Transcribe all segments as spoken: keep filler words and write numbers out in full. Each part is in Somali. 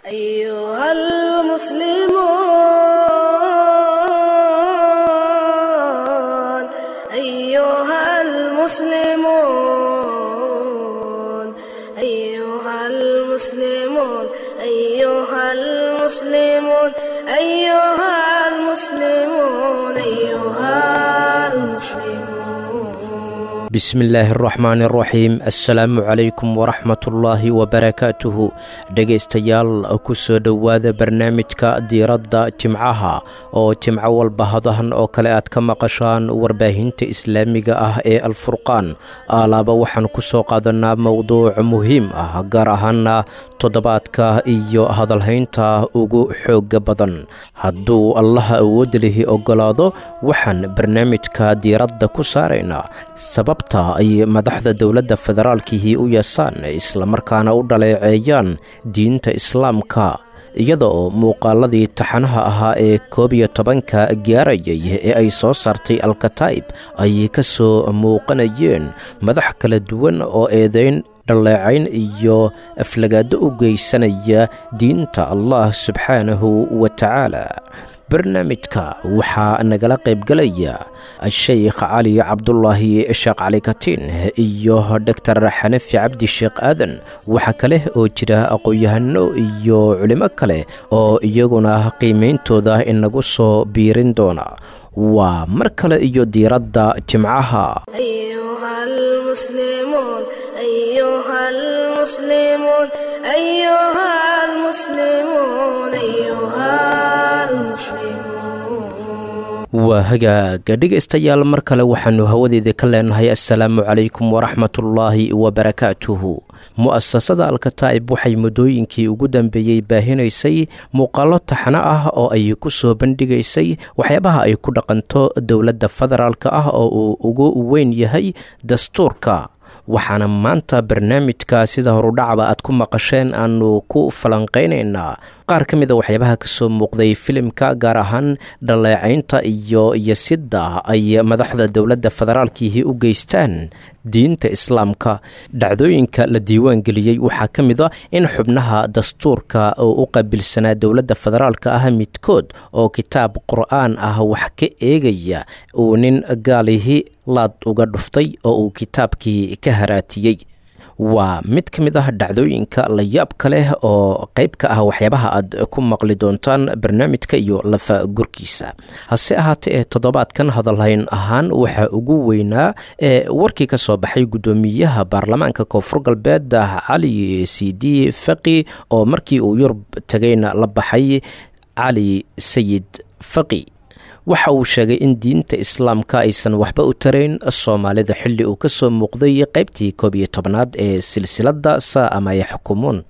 أيها المسلمون، أيها المسلمون، أيها المسلمون، أيها المسلمون، أيها المسلمون. Bismillaahi araxmaani araxiim. Assalaamu calaykum waraxmatullaahi wabarakaatuhu. Dhegaystayaal, ku soo dhowaada barnaamijka Diiradda Jimcaha oo jimco walba hadahan oo kale aad ka maqashaan warbaahinta islaamiga ah ee Alfurqaan. Aalaaba waxaan ku soo qaadanaa mowduuc muhiim ah, gaar ahaana toddobaadka iyo hadalhaynta ugu xooga badan. Hadduu Allaha awood lihi ogolaado, waxaan barnaamijka diiradda ku saaraynaa sababta ay madaxda dowladda federaalkihii u yeesaan islamarkaana u dhaleeceeyaan diinta islaamka, iyada oo muuqaaladii taxanaha ahaa ee koob iyo tobanka gaarayay ee ay soo saartay Alkataa'ib ay ka soo muuqanayeen madax kala duwan oo eedeyn, dhaleecayn iyo aflagaado u geysanaya diinta Allah subxaanahu wa tacaala. Barnaamijka waxaa nagala qaybgalaya Sheikh Cali Cabdulaahi Sheekh Cali Katiin iyo Doctor Xanafi Cabdi Sheekh Aadan. Waxaa kale oo jira aqoon-yahano iyo culimo kale oo iyaguna qiimeyntooda inagu soo biirin doona. Waa mar kale iyo Diiradda Jimcaha. أيها المسلمون، أيها المسلمون، أيها المسلمون، أيها المسلمون. Waa hagaaga, dhegaystayaal, mar kale waxaanu hawadeeda ka leenahay assalaamu calaykum waraxmatullaahi wabarakaatuhu. Mu'asasada Alkataa'ib waxay muddooyinkii ugu dambeeyey baahinaysay muuqaallo taxano ah oo ay ku soo bandhigaysay waxyaabaha ay ku dhaqanto dowladda federaalka ah oo uu ugu weyn yahay dastuurka. Waxaana maanta barnaamijka, sida horudhacba aad ku maqasheen, aanu ku falanqaynaynaa qaar ka mid a waxyaabaha kasoo muuqday filimka, gaar ahaan dhaleecaynta iyo yasidda ay madaxda dowladda federaalkiihi u geystaan diinta islaamka. Dhacdooyinka la diiwaan geliyey waxaa ka mid a in xubnaha dastuurka oo u qaabilsanaa dowladda federaalka ah midkood oo kitaab qur-aan ah wax ka eegaya uu nin gaalihi laad uga dhuftay oo uu kitaabkii ka haraatiyey. Waa mid ka mid ah dhacdooyinka layaabka leh oo qayb ka ah waxyaabaha aad ku maqli doontaan barnaamijka iyo lafa gurkiisa. Hase ahaatee, ee toddobaadkan hadalhayn ahaan waxaa ugu weynaa ee warkii ka soo baxay guddoomiyaha baarlamaanka Koonfur Galbeed Cali C D Faqi, oo markii uu Yurub tegayna la baxay Cali Sayid Faqi. Waxa uu sheegay in diinta islaamka aysan waxba u tarayn Soomaalida, xilli uu ka soo muuqday qaybtii koob iyo tobnaad ee silsiladda Saa ama Yaxkumuun.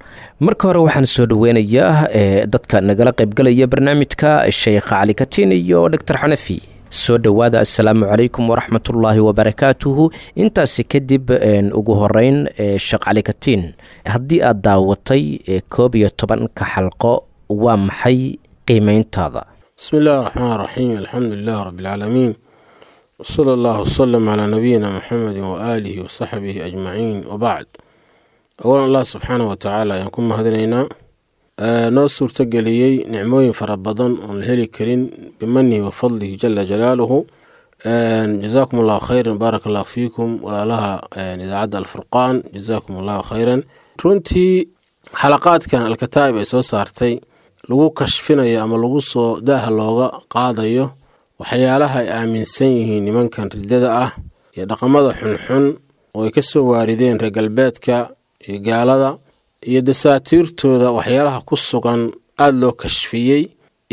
Marka hore waxaan soo dhoweynayaa ee dadka nagala qaybgalaya barnaamijka, Sheekh Cali Katiin iyo Doctor Xanafi. Soo dhowaada, assalaamu calaykum waraxmatullaahi wabarakaatuhu. Intaasi kadib, ugu horeyn Sheekh Cali Katiin, haddii aad daawatay koob iyo tobanka xalqo, waa maxay qiimeyntaada? بسم الله الرحمن الرحيم، الحمد لله رب العالمين، وصلى الله وسلم على نبينا محمد وآله وصحبه أجمعين، وبعد. أولا، الله سبحانه وتعالى ayaan ku mahadinaynaa noo suurtageliyey nicmooyin fara badan oon la heli karin, bimanihi wa fadlihi jala jalaaluhu. Jazaakum Allahu khayran, baaraka Allahu fiikum, walaalaha idaacadda Alfurqaan, jazaakum Allahu khayran. Runtii xalaqaadkan Alkataa'ib ay soo saartay lagu kashfinayo ama lagu soo daaha looga qaadayo waxyaalaha ay aaminsan yihiin nimankan riddada ah iyo dhaqamada xunxun oo ay ka soo waarideen reer galbeedka iyo gaalada iyo dasaatiirtooda, waxyaalaha ku sugan aada loo kashfiyey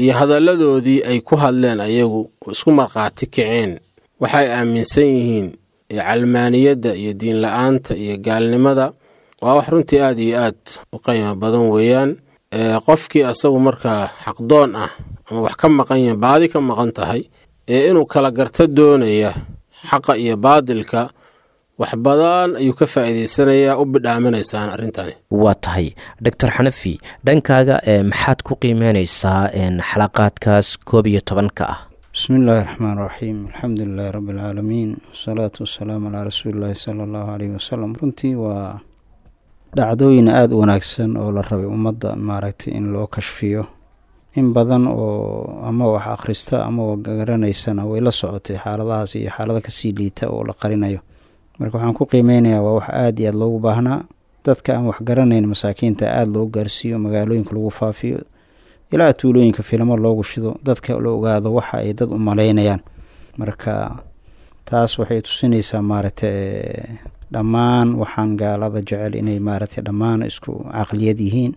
iyo hadalladoodii ay ku hadleen ayagu oo isku markhaati kaceen waxay aaminsan yihiin calmaaniyadda iyo diin la-aanta iyo gaalnimada, waa wax runtii aada iyo aad u qiimo badan weeyaan. Qofkii asagu markaa xaqdoon ah ama wax ka maqan yahin, baadi ka maqan tahay, ee inuu kala garto doonaya xaqa iyo baadilka, wax badan ayuu ka faa'iidaysanayaa, u bidhaaminaysaan arrintani. Waa tahay. Doctor Xanafi, dhankaaga maxaad ku qiimeynaysaa xalaqaadkaas koob iyo tobanka ah? Bismi illaahi raxmaan raxiim, alxamdu lilaahi rabbi alcaalamiin, wasalaatu wasalaamu calaa rasuuli illaahi sala Allahu caleyhi wasalam. Runtii waa Dhacdooyin aada u wanaagsan oo la rabay ummadda maaragtay in loo kashfiyo, in badan oo ama wax akhrista ama garanaysana way la socotay xaaladahaas iyo xaalado kasii liita oo la qarinayo. Marka waxaan ku qiimeynayaa waa wax aada iyo aada loogu baahnaa, dadka aan wax garanayn masaakiinta aada loo gaarsiiyo, magaalooyinka lagu faafiyo, ilaa tuulooyinka filamo loogu shido, dadka la ogaado waxa ay dad u malaynayaan. Marka taas waxay tusinaysaa maaragtay dhammaan waxaan gaalada jecel inay maaragtay dhammaan isku caqliyad yihiin.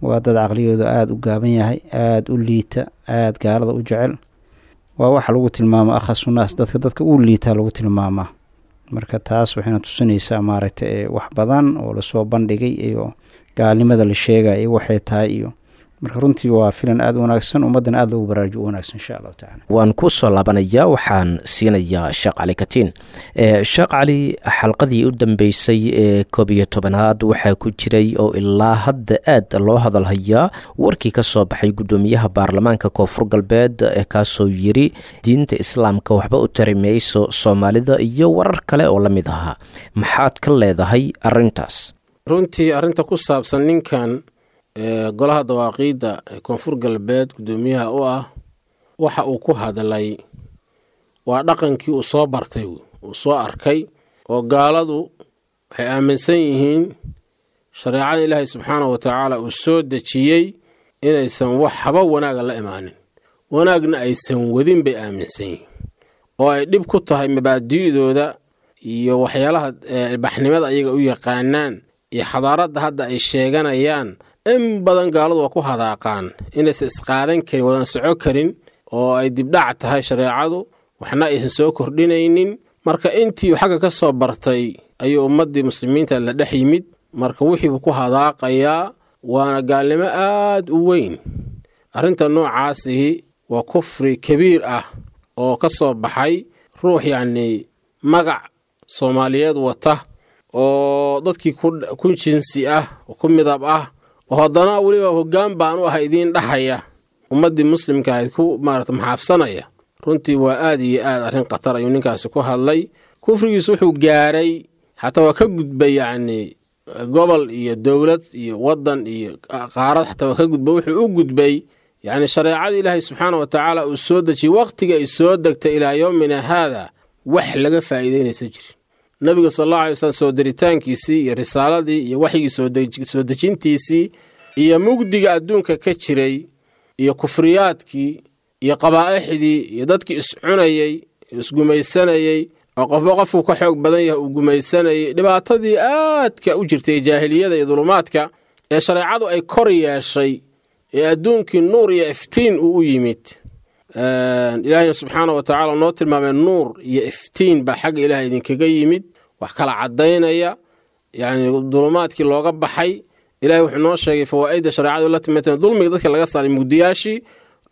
Waa dad caqliyooda aada u gaaban yahay, aada u liita, aada gaalada u jecel. Waa waxa lagu tilmaamo akhasunaas, dadka dadka u liitaa lagu tilmaamaa. Marka taas waxayna tusinaysaa maaragtay wax badan oo lasoo bandhigay iyo gaalnimada la sheegaya iyo waxay tahay iyo marka runtii waa filan aada u wanaagsan, ummaddana aada loogu baraarujo u wanaagsan insha allahu tacala. Waan ku soo laabanayaa, waxaan siinayaa Sheekh Cali Katiin. Sheekh Cali, xalqadii u dambeysay ee koob iyo tobanaad waxaa ku jiray oo ilaa hadda aad loo hadalhayaa warkii ka soo baxay guddoomiyaha baarlamaanka Koonfur Galbeed, kaasoo yiri diinta islaamka waxba u tari mayso Soomaalida iyo warar kale oo la mid ahaa. Maxaad ka leedahay arrintaas? Runtii arrinta ku saabsan ninkan golaha dawaaqiidda ee Koonfur Galbeed guddoomiyaha u ah, waxa uu ku hadlay waa dhaqankii uu soo bartay, uu soo arkay, oo gaaladu waxay aaminsan yihiin shareecada Ilaahay subxaanahu wa tacaala uu soo dejiyey inaysan wax haba wanaaga la imaanin, wanaagna aysan wadin bay aaminsan yihiin, oo ay dhib ku tahay mabaadi'dooda iyo waxyaalaha ilbaxnimada ayaga u yaqaanaan iyo xadaaradda hadda ay sheeganayaan. In badan gaaladu waa ku hadaaqaan inaysan isqaadan karin, wadan soco karin, oo ay dibdhac tahay shareecadu, waxna aysan soo kordhinaynin. Marka intii xagga ka soo bartay ayuu ummaddii muslimiinta la dhex yimid, marka wixiibuu ku hadaaqayaa, waana gaalnimo aad u weyn. Arrinta noocaasihi waa kufri kabiir ah oo ka soo baxay ruux yacnii magac Soomaaliyeed wata oo dadkii ku jinsi ah oo ku midab ah, oo haddana weliba hoggaan baan u ah idiin dhaxaya, ummaddii muslimka ahayd ku maarata maxaafsanaya. Runtii waa aad iyo aad arrin khatar ayuu ninkaasi ku hadlay. Kufrigiisu wuxuu gaaray xataa waa ka gudbay yacnii gobol iyo dowlad iyo waddan iyo qaarad, xataa waa ka gudbay. Wuxuu u gudbay yacni shareecada Ilaahay subxaana wa tacaala uu soo dejiyey waqtiga ay soo degtay ilaa yowmina haada wax laga faa'iideynaysa jiri. Nabiga sal allahu alay wasalam soo diritaankiisii iyo risaaladii iyo waxyigii soo dejintiisii iyo mugdiga adduunka ka jiray iyo kufriyaadkii iyo qabaa'ixdii iyo dadkii iscunayey isgumaysanayey oo qofba qofku ka xoog badan yahay uu gumaysanayey, dhibaatadii aadka u jirtay jaahiliyada iyo dulumaadka ee shareecadu ay kor yeeshay ee adduunkii nuur iyo iftiin uu u yimid. Ilaahayna subxaana wa tacaala noo tilmaamay nuur iyo iftiin baa xagga Ilaah idinkaga yimid, wax kala caddaynaya, yacni dulumaadkii looga baxay. Ilahay wuxuu noo sheegay fawaa'idda shareecadu la timaatee dulmiga dadka laga saaray mugdiyaashii,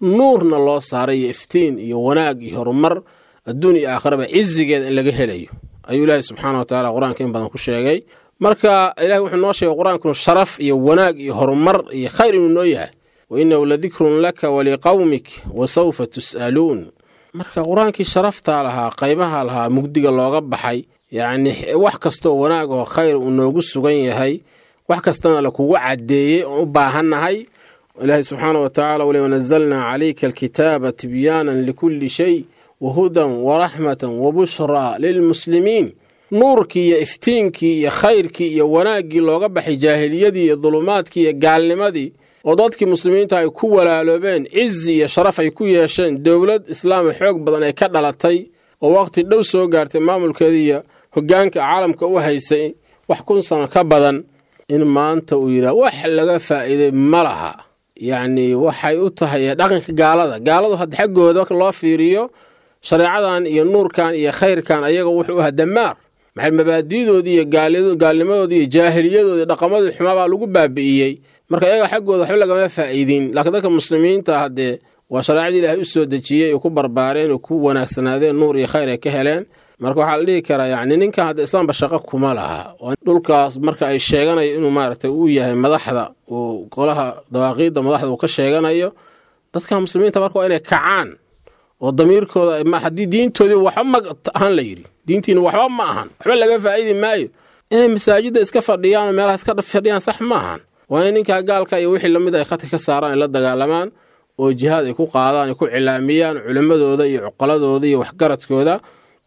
nuurna loo saaray iyo iftiin iyo wanaag iyo horumar adduun iyo aakhiraba cizigeeda in laga helayo ayuu Ilaahay subxaana wa tacaala qur-aanka in badan ku sheegay. Marka Ilahay wuxuu noo sheegay qur-aankunu sharaf iyo wanaag iyo horumar iyo khayr inuu noo yahay, wa innahu ladikrun laka waliqawmik wa sawfa tus'aluun. Marka qur-aankii sharaftaa lahaa, qaybaha lahaa, mugdiga looga baxay, yacni wax kastaoo wanaag oo khayr uu noogu sugan yahay, wax kastana lakugu caddeeyey oon u baahannahay. Ilaahay subxaana wa tacala ule wanazalnaa calayka alkitaaba tibyaanan likulli shay wahudan waraxmatan wabushraa lilmuslimiin. Nuurkii iyo iftiinkii iyo khayrkii iyo wanaaggii looga baxay jaahiliyadii iyo dulumaadkii iyo gaalnimadii, oo dadkii muslimiinta ay ku walaaloobeen, cizi iyo sharaf ay ku yeesheen, dowlad islaam xoog badan ay ka dhalatay oo waqti dhow soo gaartay maamulkeeda iyo hoggaanka caalamka u haysay wax kun sano ka badan, in maanta uu yidhaah wax laga faa'iiday ma laha. Yacni waxay u tahay dhaqanka gaalada. Gaaladu hadda xaggooda marka loo fiiriyo shareecadan iyo nuurkan iyo khayrkan ayaga wuxuu ahaa damaar. Maxay mabaadi'doodii iyo gaalnimadoodii iyo jaahiliyadoodii dhaqamadii xumaa baa lagu baabi'iyey. Marka iyaga xaggooda waxba lagama faa'iidin. Laakiin dadka muslimiinta haddee waa shareecadii Ilaahay u soo dejiyey oo ku barbaareen oo ku wanaagsanaadeen, nuur iyo khayr ay ka heleen. Marka waxaa la dhihi karaa yacni ninkan hadda islaamba shaqo kuma laha. Dhulkaas marka ay sheeganayo inuu maaragtay uu yahay madaxda, uu golaha dawaaqiidda madaxda uu ka sheeganayo, dadka muslimiinta marka waa inay kacaan oo damiirkooda, haddii diintoodii waxba ma ahan la yidhi, diintiina waxba ma ahan, waxba laga faa'iidi maayo, Inay masaajidda iska fadhiyaan oo meelaha iska fadhiyaan sax maahan. Waa in ninkaa gaalka iyo wixii lamid ay khadka ka saaraan, ay la dagaalamaan oo jihaad ay ku qaadaan, ay ku cilaamiyaan culimmadooda iyo cuqaladooda iyo waxgaradkooda.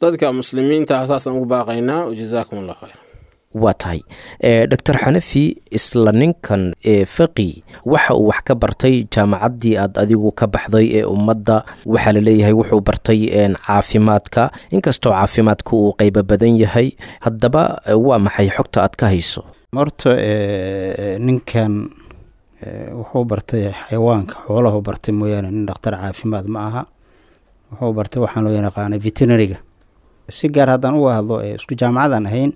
Dadka muslimiinta ah saasaan ugu baaqaynaa. Wajazaakum allah khayr. Waa tahay, Doctor Xanafi. Isla ninkan Faqi waxa uu wax ka bartay jaamacaddii aad adigu ka baxday ee Ummadda. Waxaa la leeyahay wuxuu bartay caafimaadka, inkastoo caafimaadka uu qeybo badan yahay. Haddaba waa maxay xogta aad ka hayso? Horta ninkan wuxuu bartay xayawaanka, xoolahu bartay mooyaane nin dhakhtar caafimaad ma aha. Wuxuu bartay waxaan loo yaqaanay veterinariga. Si gaar haddaan uga hadlo, isku jaamacadaan ahayn,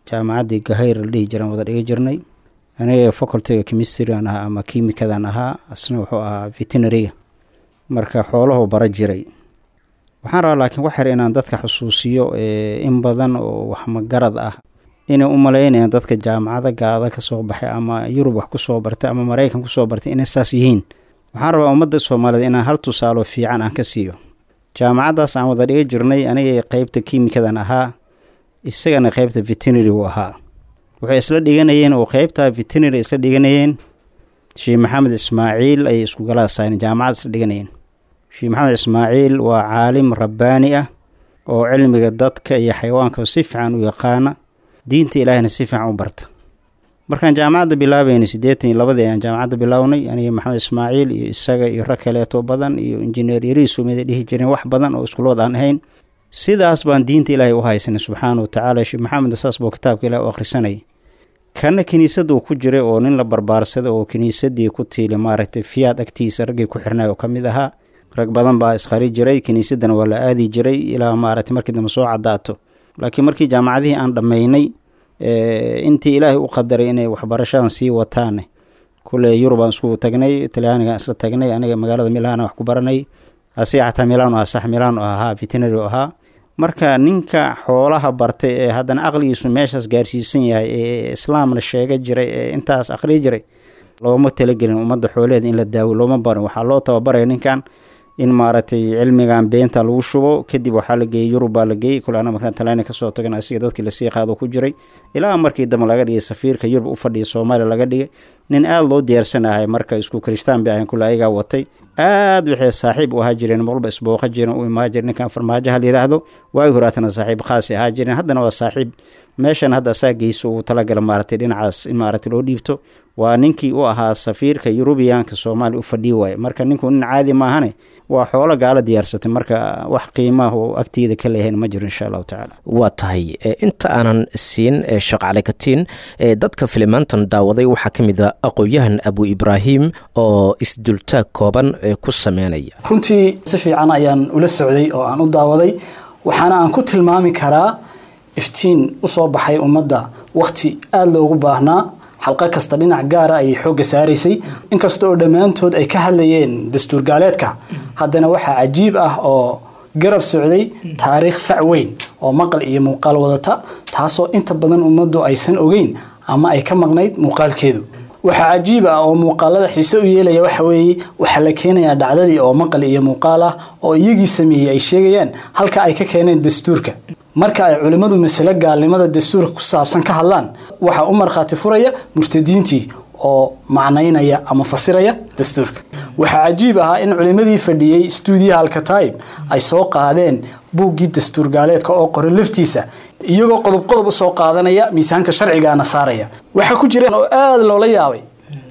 jaamacaddii Gahayr la dhihi jiraan wada dhiga jirnay. Aniga facultyga chemistrygan ahaa ama kiimikadan ahaa, asna wuxuu ahaa veterinariga, marka xoolahu bara jiray. Waxaan rabaa laakiin wax yar inaan dadka xusuusiyo. In badan oo wax magarad ah inay u malaynayaan dadka jaamacada gaada ka soo baxay ama Yurub wax kusoo bartay ama Maraykan kusoo bartay inay saas yihiin. Waxaan rabaa ummadda Soomaaliyeed inaan hal tusaalo fiican aan ka siiyo. Jaamacaddaas aan wada dhiga jirnay, aniga qeybta kiimikadan ahaa, isagana qeybta veterinary uu ahaa. Waxay isla dhiganayeen oo qeybta veterinary isla dhiganayeen Sheekh Maxamed Ismaaciil ayay isku galaasayeen, jaamacad isla dhiganayeen. Sheekh Maxamed Ismaaciil waa caalim rabbaani ah oo cilmiga dadka iyo xayawaanka si fiican u yaqaana, diinta Ilaahina si fiican u barta. Markaan jaamacadda bilaabaynay siddeetan iyo labadii ayaan jaamacadda bilownay, aniga Maxamed Ismaaciil iyo isaga iyo rag kaleeto badan iyo injineer Yariisu mida dhihi jireen, wax badan oo iskulood aan ahayn. Sidaas baan diinta Ilaahay u haysanay subxaana wa tacaala. Sheekh Maxamed saas buu kitaabka Ilahay u akhrisanayay, kana kiniisaduu ku jiray oo nin la barbaarsaday oo kiniisadii ku tiili maaragtay Fiyaad agtiisa raggii ku xirnay oo ka mid ahaa. Rag badan baa isqari jiray, kiniisadana waa la aadi jiray ilaa maaragtay markii dambe soo cadaato. Laakiin markii jaamacadihii aan dhammaynay, intii Ilaahay u qadaray inay waxbarashadan sii wataane, kule Yurub aan isku tagnay, Talyaanigaan isla tagnay. Aniga magaalada Milaana wax ku baranay, asiga xataa Milaano ah, sax, Milaano ahaa, veterinary ahaa. Marka ninka xoolaha bartay ee haddana aqligiisu meeshaas gaarsiisan yahay ee islaamna sheega jiray ee intaas aqriyi jiray, looma talagelin ummadda xoolaheeda in la daawo, looma barin. Waxaa loo tababaraya ninkan in maaragtay cilmigan beenta lagu shubo. Kadib waxaa la geeyey Yurub baa la geeyey. Kule ana markaan Talyaani kasoo tagan, asiga dadkii lasii qaado ku jiray, ilaa markii dambe laga dhigay safiirka Yurub u fadhiya Soomaaliya laga dhigay. Nin aada loo diyaarsanahay. Marka isku kirishtaan bay ahayn, kule ayagaa watay. Aad waxay saaxiib u ahaa jireen, marwalba isbooqa jireen, u imaa jireen. Ninkan Farmaajaha la yidhaahdo waagi horaatana saaxiib khaasi ahaa jireen, haddana waa saaxiib. Meeshan hadda asaa geyso uu talagala maaragtay dhinacaas in maaragtay loo dhiibto. Waa ninkii u ahaa safiirka Yurubiyaanka Soomaaliya u fadhiyi waaye. Marka ninku nin caadi maahane, waa xoolo gaala diyaarsatay. Marka wax qiimaah oo agtiyada ka leeyahayn ma jiro, insha allahu tacaala. Waa tahay. Inta aanan siin Sheekh Cali Katiin, dadka filimaantan daawaday waxaa ka mid a aqoon-yahan Abu Ibraahim oo isdultaag kooban ku sameynaya. Runtii si fiican ayaan ula socday oo aan u daawaday, waxaana aan ku tilmaami karaa iftiin usoo baxay ummadda wakhti aada loogu baahnaa. Xalqo kasta dhinac gaara ayay xoogga saaraysay. Inkasta oo dhammaantood ay ka hadlayeen dastuur gaaleedka, haddana waxaa cajiib ah oo garab socday taariikh fac weyn oo maqal iyo muuqaal wadata, taasoo inta badan ummaddu aysan ogeyn ama ay ka maqnayd muuqaalkeedu. Waxaa cajiib ah oo muuqaalada xiise u yeelaya waxa weeye, waxaa la keenayaa dhacdadii oo maqal iyo muuqaal ah oo iyagii sameeyey ay sheegayaan halka ay ka keeneen dastuurka. Marka ay culimmadu masale gaalnimada dastuurka ku saabsan ka hadlaan, waxaa u markhaati furaya murtadiintii oo macnaynaya ama fasiraya dastuurka. Waxaa cajiib ahaa in culimmadii fadhiyey stuudiyaha Alkataib ay soo qaadeen buuggii dastuur gaaleedka oo qoran laftiisa, iyagoo qodob qodob usoo qaadanaya, miisaanka sharcigaana saaraya. Waxaa ku jireen oo aada loola yaabay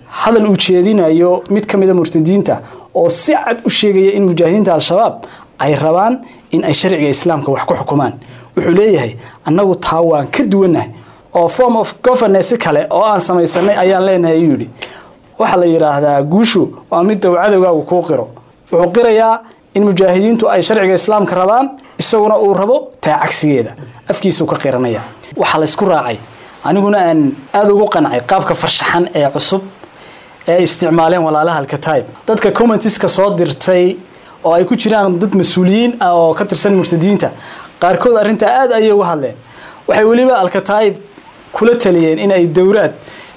hadal uu jeedinayo mid ka mida murtadiinta oo si cad u sheegaya in mujaahidiinta Al-Shabaab ay rabaan in ay sharciga Islaamka wax ku xukumaan. Wuxuu leeyahay, annagu taa waan ka duwannahay oo form of governance kale oo aan samaysanay ayaan leenahay, ayuu yidhi. Waxaa la yidhaahdaa guushu waa mid uu cadowgaagu kuu qiro. Wuxuu qirayaa in mujaahidiintu ay sharciga Islaamka rabaan, isaguna uu rabo taa cagsigeeda, afkiisuu ka qiranaya. Waxaa laysku raacay, aniguna aan aada ugu qancay, qaabka farshaxan ee cusub ee ay isticmaaleen walaalaha Alkataib. Dadka commentiska soo dirtay oo ay ku jiraan dad mas-uuliyiin ah oo ka tirsan murtadiinta qaarkood, arrintaa aada ayay uga hadleen. Waxay weliba Alkataib kula taliyeen in ay dowlaad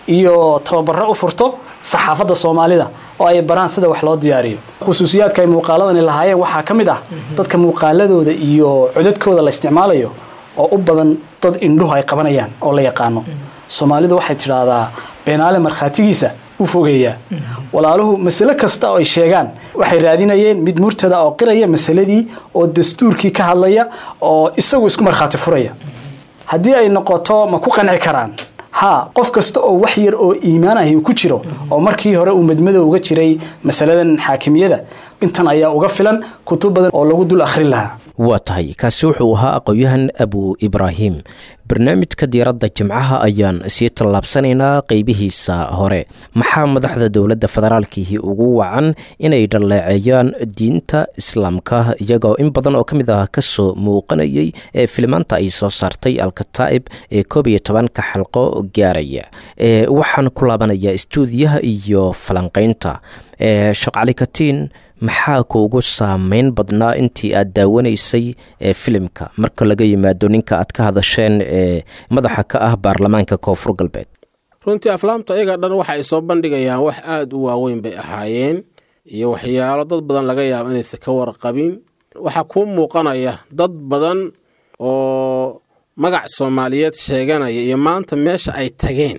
iyo tababaro u furto saxaafadda Soomaalida oo ay baraan sida wax loo diyaariyo. Khusuusiyaadka ay muuqaaladani lahaayeen waxaa ka mid ah dadka muuqaaladooda iyo codadkooda la isticmaalayo oo u badan dad indhuhu ay qabanayaan oo la yaqaano. Soomaalidu waxay tidhaahdaa beenaale markhaatigiisa u fogeeyaa. Walaaluhu masale kasta oo ay sheegaan waxay raadinayeen mid murtada oo qiraya masaladii oo dastuurkii ka hadlaya oo isagu isku markhaati furaya. Haddii ay noqoto ma ku qanci karaan? Haa, qof kasta oo wax yar oo iimaan ahi ku jiro oo markii hore uu madmadow uga jiray masaladan xaakimiyada, intan ayaa uga filan kutub badan oo lagu dul akhrin lahaa. Waa tahay, kaasi wuxuu ahaa aqoon-yahan Abu Ibraahim. Barnaamijka diiradda Jimcaha ayaan sii tallaabsanaynaa qeybihiisa hore. Maxaa madaxda dowladda federaalkiihi ugu wacan inay dhaleeceeyaan diinta islaamka, iyagoo in badan oo ka mid ah kasoo muuqanayay ee filimaanta ay soo saartay Alkataa'ib ee koob iyo tobanka xalqo gaaraya? Waxaan ku laabanayaa istuudiyaha iyo falanqeynta. Sheekh Cali Katiin, maxaa kuugu saameyn badnaa intii aad daawanaysay ee filimka, marka laga yimaado ninka aad ka hadasheen ee madaxa ka ah baarlamaanka Koonfur Galbeed? Runtii aflaamta iyaga dhan waxa ay soo bandhigayaan wax aada u waaweyn bay ahaayeen, iyo waxyaalo dad badan laga yaabo inaysan ka warqabin. Waxaa kuu muuqanaya dad badan oo magac Soomaaliyeed sheeganaya iyo maanta meesha ay tageen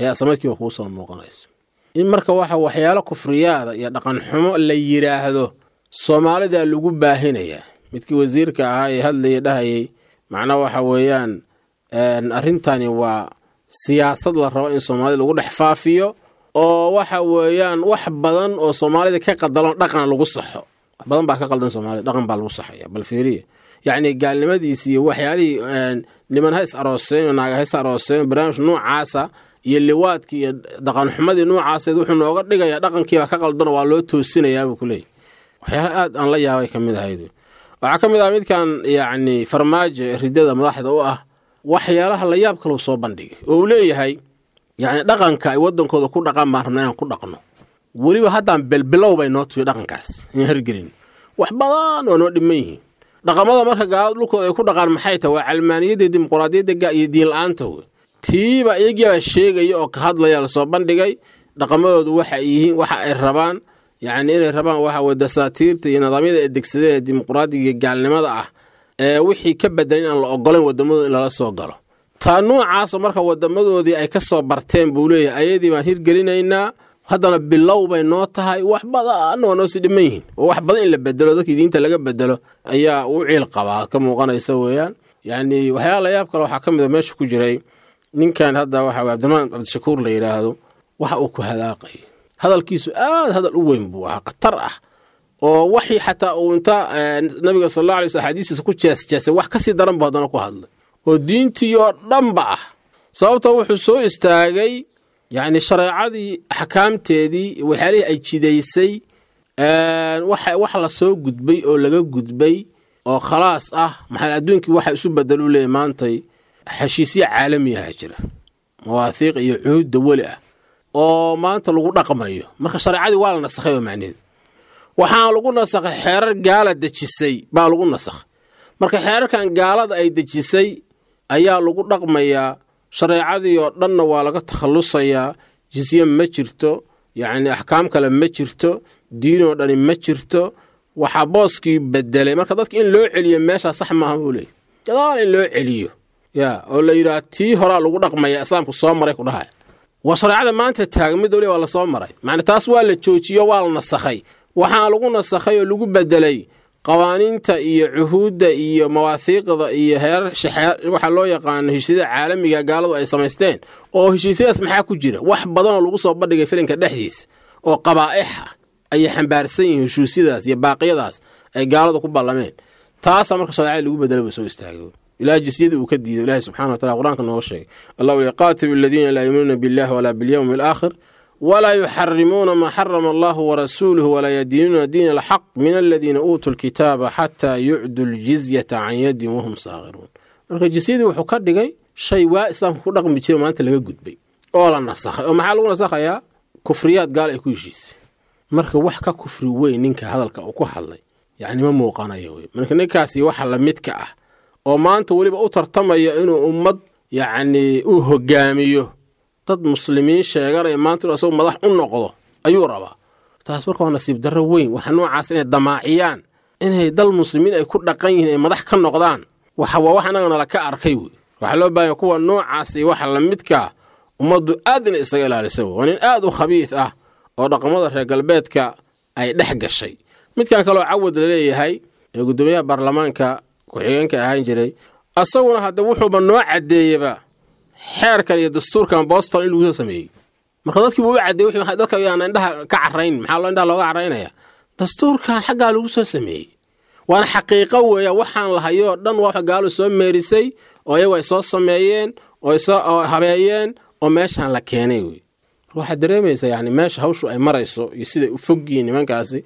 ayaa islamarkiiba kuu soo muuqanayso. In marka waxa waxyaalo kufriyaada iyo dhaqan xumo la yidhaahdo Soomaalida lagu baahinayaa. Midkii wasiirka ahaa ee hadlayay dhahayay macnaa waxa weeyaan arrintani waa siyaasad la rabo in Soomaalida lagu dhex faafiyo, oo waxa weeyaan wax badan oo Soomaalida ka qadalon dhaqan lagu saxo. Wax badan baa ka qaldan Soomaalida, dhaqan baa lagu saxaya. Bal fiiriya, yacni gaalnimadiisi iyo waxyaalihii niman ha is arooseen, naaga ha is arooseen, barnaamij noocaasa iyo liwaadkii iyo dhaqanxumadii noocaaseed wuxuu nooga dhigayaa dhaqankiibaa ka qaldano, waa loo toosinayaabuu ku leeyahy. Waxyaala aad aan la yaabay ka mid ahayd waxaa ka mid ah midkan yacni Farmaajo ridada madaxda u ah, waxyaalaha la yaab kaleu soo bandhigay oo uu leeyahay yacni dhaqanka ay waddankooda ku dhaqan baan rabna inaan ku dhaqno, weliba haddaan belbilow bay noo tuyo dhaqankaas in hirgelin, wax badan oo noo dhiman yihiin. Dhaqamada marka gaalada dhulkooda ay ku dhaqaan maxay tahay? Waa calmaaniyadda, dimuquraadiyadda iyo diin la-aanta wey. Tiiba iyagiibaa sheegaya oo ka hadlaya lasoo bandhigay dhaqamadoodu waxa ay yihiin, waxa ay rabaan, yacni inay rabaan waxa weye dasaatiirta iyo nidaamyada ay degsadeen ee dimuquraadiga iyo gaalnimada ah ee wixii ka bedelan in aan la ogolayn waddamadooda in lala soo galo. Taa noocaasoo marka waddamadoodii ay ka soo barteen buu leeyahay, ayadii baan hirgelinaynaa, haddana bilow bay noo tahay, wax badan waa noo sii dhiman yihiin, oo wax badan in la bedelo, dadkii diinta laga bedelo ayaa u ciil qabaa ka muuqanaysa weeyaan. Yacni waxyaala la yaab kale waxaa ka mid a meesha ku jiray ninkan hadda waxa weye Cabdiraxmaan Cabdishakuur la yidhaahdo, waxa uu ku hadaaqay hadalkiisu aad hadal u weyn buu ahaa, khatar ah, oo waxii xataa uu inta nabiga sal alla alay sl axaadiistiisa ku jeesjeesay wax kasii daran buu haddana ku hadlay, oo diintii oo dhanba ah. Sababtoo wuxuu soo istaagay yacni shareecadii axkaamteedii waxyaalihii ay jidaysay, waxa wax la soo gudbay oo laga gudbay oo khalaas ah. Maxaa adduunkii waxa isu bedel u leeyahy maantay? Heshiisyo caalami ah jira, mawaahiiq iyo cuhuud dawali ah oo maanta lagu dhaqmayo. Marka shareecadii waa la nasakhay oo macnaheedu waxaa lagu nasakhay xeerar gaala dejisay baa lagu nasakhay. Marka xeerarkan gaalada ay dejisay ayaa lagu dhaqmayaa, shareecadii oo dhanna waa laga takhallusayaa. Jisye ma jirto, yacni axkaam kale ma jirto, diinoo dhani ma jirto. Waxaa booskii bedelay marka dadka in loo celiyo meeshaa sax maaha buu leeyay, gadaal in loo celiyo ya oo la yidhaha tii horaa lagu dhaqmaya islaamku soo maray ku dhahaya. Waa shareecada maanta taagan mid waliba waa lasoo maray, macna taas waa la joojiyo, waa la nasakhay. Waxaa lagu nasakhay oo lagu bedelay qawaaniinta iyo cuhuudda iyo mawaahiiqda iyo heerar waxaa loo yaqaano heshiisyada caalamiga gaaladu ay samaysteen. Oo heshiisyadaas maxaa ku jira? Wax badanoo lagu soo bandhigay filinka dhexdiisa oo qabaa'ix ah ayay xambaarsan yihiin heshiisyadaas iyo baaqyadaas ay gaaladu ku ballameen. Taasaa marka shareecada lagu bedelay buu soo istaagay ilaa jisyadii uu ka diiday. Ilaahay subxana wa tacala qur-aanka nooga sheegay, Allah uli qaatilu aladiina laa yuuminuuna billahi walaa bilyawmi alaakhir walaa yuxarimuuna maa xarama allahu warasuuluhu walaa yadiinuuna diina alxaq min aladiina uutuu lkitaaba xataa yucduu ljizyata can yadin wahum saagiruun. Marka jisyadii wuxuu ka dhigay shay waa islaamka ku dhaqmi jiray maanta laga gudbay oo la nasakhay. Oo maxaa lagu nasakhayaa? Kufriyaad gaal ay ku heshiisay. Marka wax ka kufri weyn ninka hadalka uu ku hadlay yacni ma muuqanayo wey. Marka ninkaasi waxa lamidka ah oo maanta weliba u tartamaya inuu ummad yacni uu hogaamiyo, dad muslimiin sheeganaya maanta inuu asagu madax u noqdo ayuu rabaa. Taas marka waa nasiib darro weyn. Waxa noocaas inay damaaciyaan inay dal muslimiin ay ku dhaqan yihiin ay madax ka noqdaan, Waxa waa wax annaga nala ka arkay wey. Waxaa loo baahanya kuwa noocaas iyo waxa lamidkaa ummaddu aad inay isaga ilaalisa wey. Waa nin aad u khabiis ah oo dhaqamada reer galbeedka ay dhex gashay. Midkan kaloo Cawad laleeyahay ee guddoomiyaha baarlamaanka ku-xigeenka ahaan jiray, asaguna hadda wuxuuba noo caddeeyeba xeerkan iyo dastuurkan Boston in lagu soo sameeyey. Marka dadkii buu u caddeeyey, wixii dadka ayaan indhaha ka carrayn. Maxaa loo indhaha looga carraynaya? Dastuurkan xaggaa lagu soo sameeyey, waana xaqiiqo weeya. Waxaan lahayoo dhan waa waxa gaalu soo meerisay oo iyagu ay soo sameeyeen oo ay soo oo habeeyeen oo meeshaan la keenay wey. Marka waxaad dareemaysaa yani meesha hawshu ay marayso iyo siday u fog yihiin nimankaasi,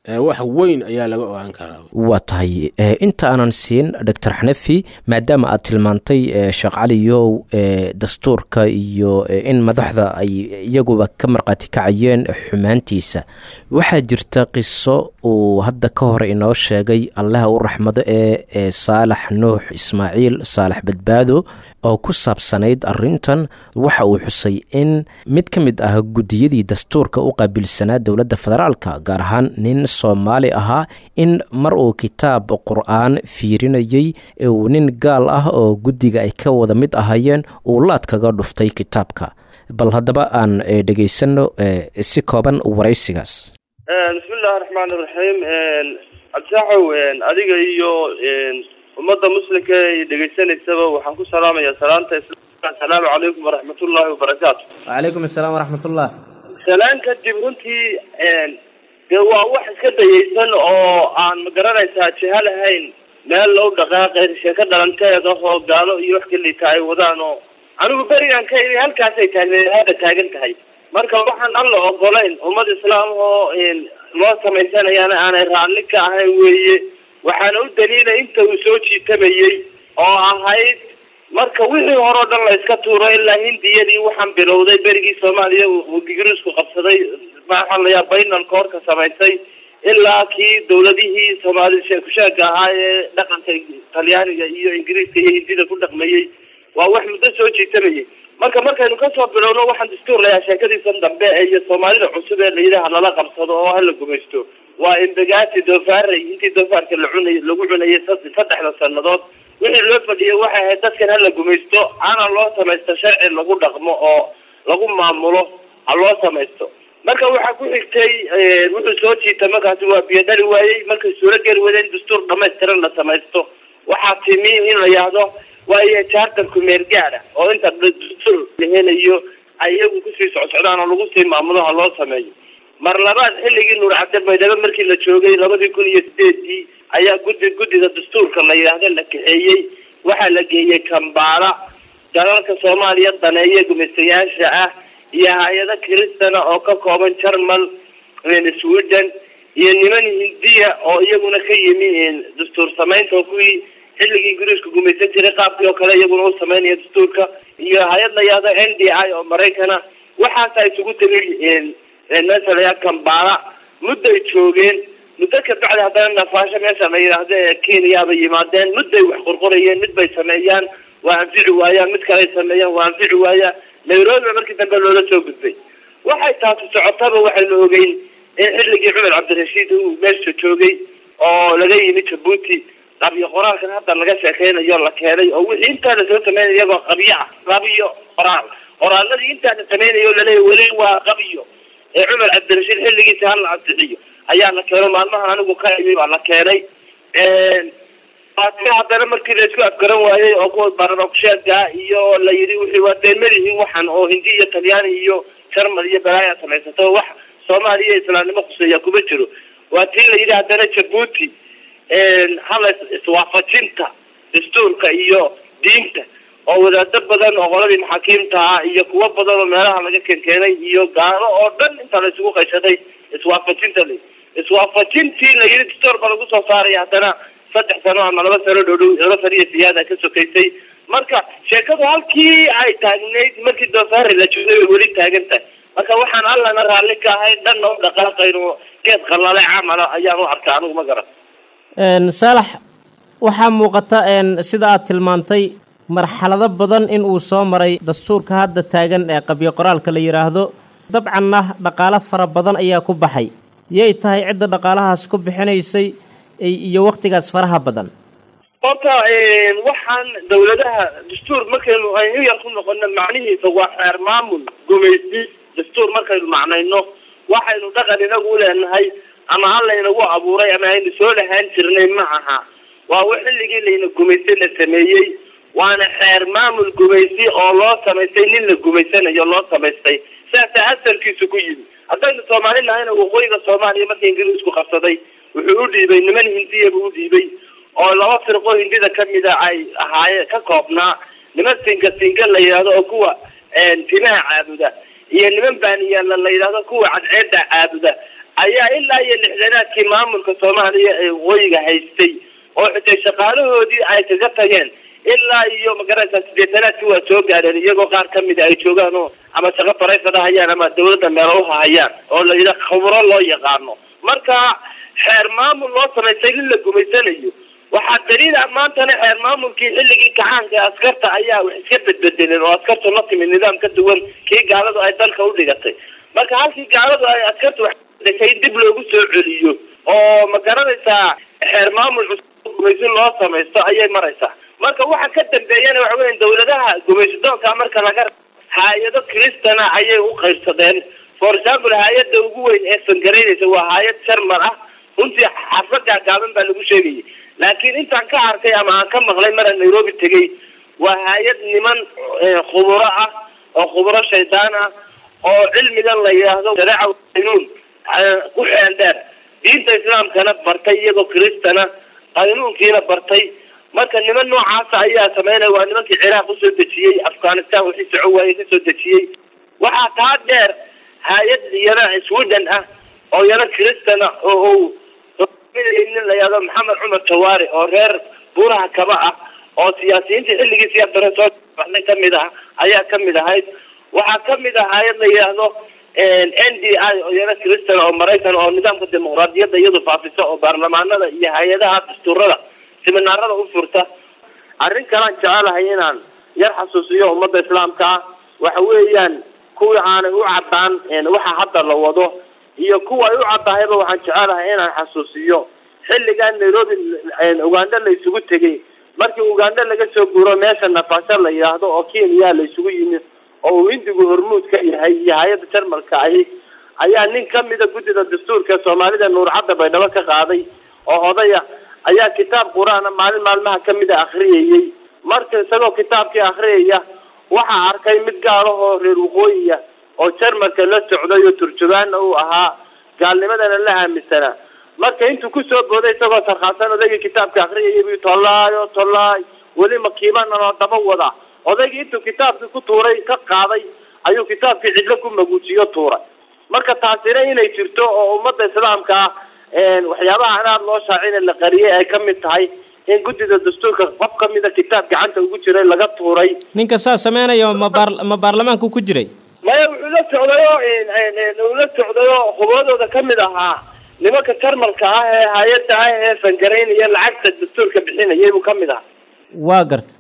ee wax weyn ayaa laga ogaan karaa. Waa tahay. eh, inta aanan siin Doctor Xanafi, maadaama aad tilmaantay eh, Sheekh Caliyow, eh, dastuurka iyo eh, in madaxda ay iyaguba ka marqaati kacayeen xumaantiisa, waxaa jirta qiso uu hadda ka hor inoo sheegay, Allaha u raxmado ee ee Saalax Nuux Ismaaciil Saalax Badbaado, oo ku saabsanayd arrintan. Waxa uu xusay in mid ka mid ah guddiyadii dastuurka u qaabilsanaa dowladda federaalka, gaar ahaan nin Soomaali ahaa, in mar uu kitaab Qur-aan fiirinayey uu nin gaal ah oo guddiga ay ka wada mid ahaayeen uu laad kaga dhuftay kitaabka. Bal haddaba aan eh, dhegaysanno eh, si kooban waraysigaas. Bismi illahi raxmaan iraxiim. Cabdisaaxow, adiga iyo ummadda muslimka ee dhegaysanaysaba waxaan ku salaamayaa salaanta islaamka: asalaamu calaykum waraxmatullaahi wabarakaatu. Wacalaykum asalaam waraxmatullah. Salaan kadib, runtii dee waa wax iska dayaysan oo aan magaranaysaa jiha lahayn, meel loo dhaqaaqay, sheeko dhalanteed ah oo gaalo iyo wax kaliita ay wadaan, oo anigu berigaan ka imi halkaasay taagneed hadda taagan tahay. Marka waxaan Alla ogolayn, ummad islaam oo loo samaysanayaana aanay raalli ka ahayn weeye. Waxaana u daliilay inta uu soo jiitamayey oo ahayd marka wixii hore oo dhan la iska tuuro ilaa Hindiyadii. Waxaan bilowday berigii Soomaaliya uu Ingiriisku qabsaday, maxaa la yaa baynalka horka samaysay, ilaa kii dowladihii Soomaali sheekusheega ahaa ee dhaqanka Talyaaniga iyo Ingiriiska iyo Hindida ku dhaqmayey. Waa wax muddo soo jiitamayey. Marka markaynu kasoo bilowno waxaan dastuur layaa, sheekadiisan dambe iyo Soomaalida cusub ee layidhaha lala qabsado oo hala gumaysto, waa Imbagaati doofaarey. Intii doofaarka la cunay lagu cunayay saddexda sanadood, wixii loo fadhiyay waxay ahayd dadkan hala gumaysto, ana loo samaysto sharci lagu dhaqmo oo lagu maamulo ha loo samaysto. Marka waxaa ku xigtay wuxuu soo jiita markaasi waa biyodhali waayey. Markay suuro geli wadeen dastuur dhamaystiran la samaysto, waxaa timi in la yidhaahdo waayo charterku meel gaara oo inta dastuur la helayo ay iyagu kusii socsocdaan oo lagu sii maamulo ha loo sameeyo. Mar labaad, xilligii Nuur Cabdi Baydhabo markii la joogay labadii kun iyo sideedii, ayaa guddi guddida dastuurka la yidhaahdo la kaxeeyey. Waxaa la geeyey Kambaala. Dalalka Soomaaliya daneeye gumaystayaasha ah iyo hay-ado kiristana oo ka kooban Jarmal, Sweden iyo niman Hindiya oo iyaguna ka yimi dastuur samaynta, oo kuwii xilligii Ingiriisku gumaysan jiray qaabkii oo kale iyaguna u samaynaya dastuurka, iyo hay-ad la yidhaahdo N D I oo Maraykana. Waxaasa isugu tegay meesha la yidhahdo Kambaala. Mudday joogeen. Muddo ka bacdi haddana Nafaasho meesha la yidhaahdo ee Kenya bay yimaadeen. Mudday wax qorqorayeen. Mid bay sameeyaan, waa anfici waayaan. Mid kaley sameeyaan, waa anfici waayaan. Nairobi markii dambe loola soo gudbay. Waxay taasi socotaba, waxaynu ogeyn in xilligii Cumar Cabdirashiid uu meesha joogay oo laga yimi Jabuuti, qabyo qoraalkan hadda laga sheekeynayo la keenay, oo wixii intaa la soo sameynay iyagoo qabyo ah, qabyo qoraal, qoraaladii intaa la sameynayo laleeyahy weli waa qabyo ee Cumar Cabdirashiid xilligiisa hala ansixiyo ayaa la keeno. Maalmahan anigu ka imi baa la keenay. Haddana markii la isku afgaran waayey oo kuwa baroksheega iyo la yidhi wixii waa deemadihiin, waxan oo Hindi iyo Talyaani iyo Jarmal iyo balaaya samaysato, wax Soomaaliya islaamnimo khuseeya kuma jiro, waa tii la yidhi haddana Jabuuti hala iswaafajinta dastuurka iyo diinta, oo wadaado badan oo qoladii maxaakiimta ah iyo kuwo badan oo meelaha laga keenkeenay iyo gaalo oo dhan inta la isugu qayshaday iswaafajinta la iswaafajintii la yidhi dastuur ba lagu soo saaraya. Haddana saddex sano ama laba sano dhow dhow, laba sano iyo siyaada ka sokaysay. Marka sheekadu halkii ay taagnayd markii doofaari la joogay way weli taagan tahay. Marka waxaan Allana raalli ka ahayn, dhanna u dhaqaaqayno, geed qallalay camala ayaan u arkaa anigu, ma garan. Saalax, waxaa muuqata sida aad tilmaantay marxalado badan in uu soo maray dastuurka hadda taagan ee qabyo qoraalka la yidhaahdo. Dabcanna dhaqaalo fara badan ayaa ku baxay. Yay tahay cidda dhaqaalahaas ku bixinaysay iyo wakhtigaas faraha badan? Horta waxaan dowladaha dastuur markaynu aynu yar ku noqono macnihiisa waa xeer maamul gumaysi. Dastuur markaynu macnayno waxaynu dhaqan inagu u leenahay ama alla inagu abuuray ama aynu soo lahaan jirnay ma aha. Waa wax xilligii layna gumaystay la sameeyey, waana xeer maamul gumaysi oo loo samaystay nin la gumaysanayo loo samaystay, saasaa asalkiisu ku yimi. Haddaynu Soomaali nahayna waqooyiga Soomaaliya markii Ingiriisku qabsaday wuxuu u dhiibay niman Hindiya buu u dhiibay oo laba firqo Hindida kamida ay ahaayeen ka koobnaa, niman singa singa la yidhahdo oo kuwa timaha caabuda iyo niman baaniyaala la yidhahdo kuwa cadceeda caabuda ayaa ilaa iyo lixdanaadkii maamulka Soomaaliya ee waqooyiga haystay oo xitay shaqaalahoodii ay kaga tageen ilaa iyo magaraysa sideetanaadkii waa soo gaareen, iyagoo qaar kamida ay joogaan oo ama shaqo barayfada hayaan ama dawladda meelo uhahayaan oo la yidhaha khubro loo yaqaano. Marka xeer maamul loo samaystay nin la gumaysanayo waxaa daliil ah maantana xeer maamulkii xilligii kacaanka ee askarta ayaa wax iska bedbedeleen oo askartu la timid nidaam ka duwan kii gaaladu ay dalka u dhigatay. Marka halkii gaaladu ay askartu wax dhashay dib loogu soo celiyo oo ma garanaysaa xeer maamul cusub gumaysi loo samaysto ayay maraysaa. Marka waxa ka dambeeyana waxa weeyaan dowladaha gumaysidoonka marka laga hay-ado kristana ayay u qaybsadeen. For example, hay-adda ugu weyn ee fangaraynaysa waa hay-ad Jarmal ah, runtii xarfo gaagaaban baa lagu sheegayay, laakiin intaan ka arkay ama aan ka maqlay maraan Nairobi tegay waa hay-ad niman khuburo ah oo khuburo shaydaan ah oo cilmigan la yidhaahdo shareeca qaynuun ku xeel dheer, diinta islaamkana bartay iyagoo kristana qaynuunkiina bartay. Marka niman noocaasa ayaa sameynaya, waa nimankii Ciraaq usoo dejiyey, Afghanistan wixii soco waayey kasoo dejiyey. Waxaa taa dheer hay-ad iyana Sweden ah oo iyana kristana oo uu nin la yidhahdo Maxamed Cumar Jawaari oo reer Buuraha Kaba ah oo siyaasiyiintii xilligii siyaad bare soo baxday kamid ah ayaa kamid ahayd. Waxaa kamid ah hay-ad la yidhaahdo N D I oo iyana kristan oo Maraykan oo nidaamka dimuqraadiyadda iyadu faafisa oo baarlamaanada iyo hay-adaha dastuurada siminaarada u furta. Arrin kalaan jecelahay inaan yar xasuusiyo ummadda islaamka ah waxa weeyaan kuwii aanay u caddaan waxa hadda la wado iyo kuwa ay u caddahayba waxaan jecelahay inaan xasuusiyo xilligan Nairobi Uganda la isugu tegay. Markii Uganda laga soo guuro meesha Nafaasha la yidhaahdo oo Kenya la isugu yimi oo uu Hindigu hormuud ka yahay iyo hay-adda Jarmalka ahi ayaa nin kamida guddida dastuurka Soomaalida Nuur Cadda Baydhabo ka qaaday oo odaya ayaa kitaab qur-aana maalin maalmaha kamida akhriyayey. Marka isagoo kitaabkii akhriyaya waxaa arkay mid gaal ah oo reer waqooyiya oo Jarmalka la socday oo turjubaanna uu ahaa gaalnimadana la aaminsanaa. Marka intuu kusoo booday isagoo sarkhaasan odaygii kitaabka akhriyayay buu tollaayo tollaay weli makiibana loo daba wadaa. Odaygii intuu kitaabkii ku tuuray ka qaaday ayuu kitaabkii cidlo ku maguujiyo tuuray. Marka taasina inay jirto oo ummadda islaamka ah waxyaabaha aan aada loo shaacin la qariyay ay kamid tahay in guddida dastuurka qof kamida kitaab gacanta ugu jiray laga tuuray. Ninka saa sameynayo ma baar ma baarlamaanku ku jiray? Maya, wuxuu la socdayoo uu la socdayoo khubradooda kamid ahaa nimanka Jarmalka ah ee hay-adda ah ee fangaraynaya lacagta dastuurka bixinayay buu kamid ahaa. Waa garta.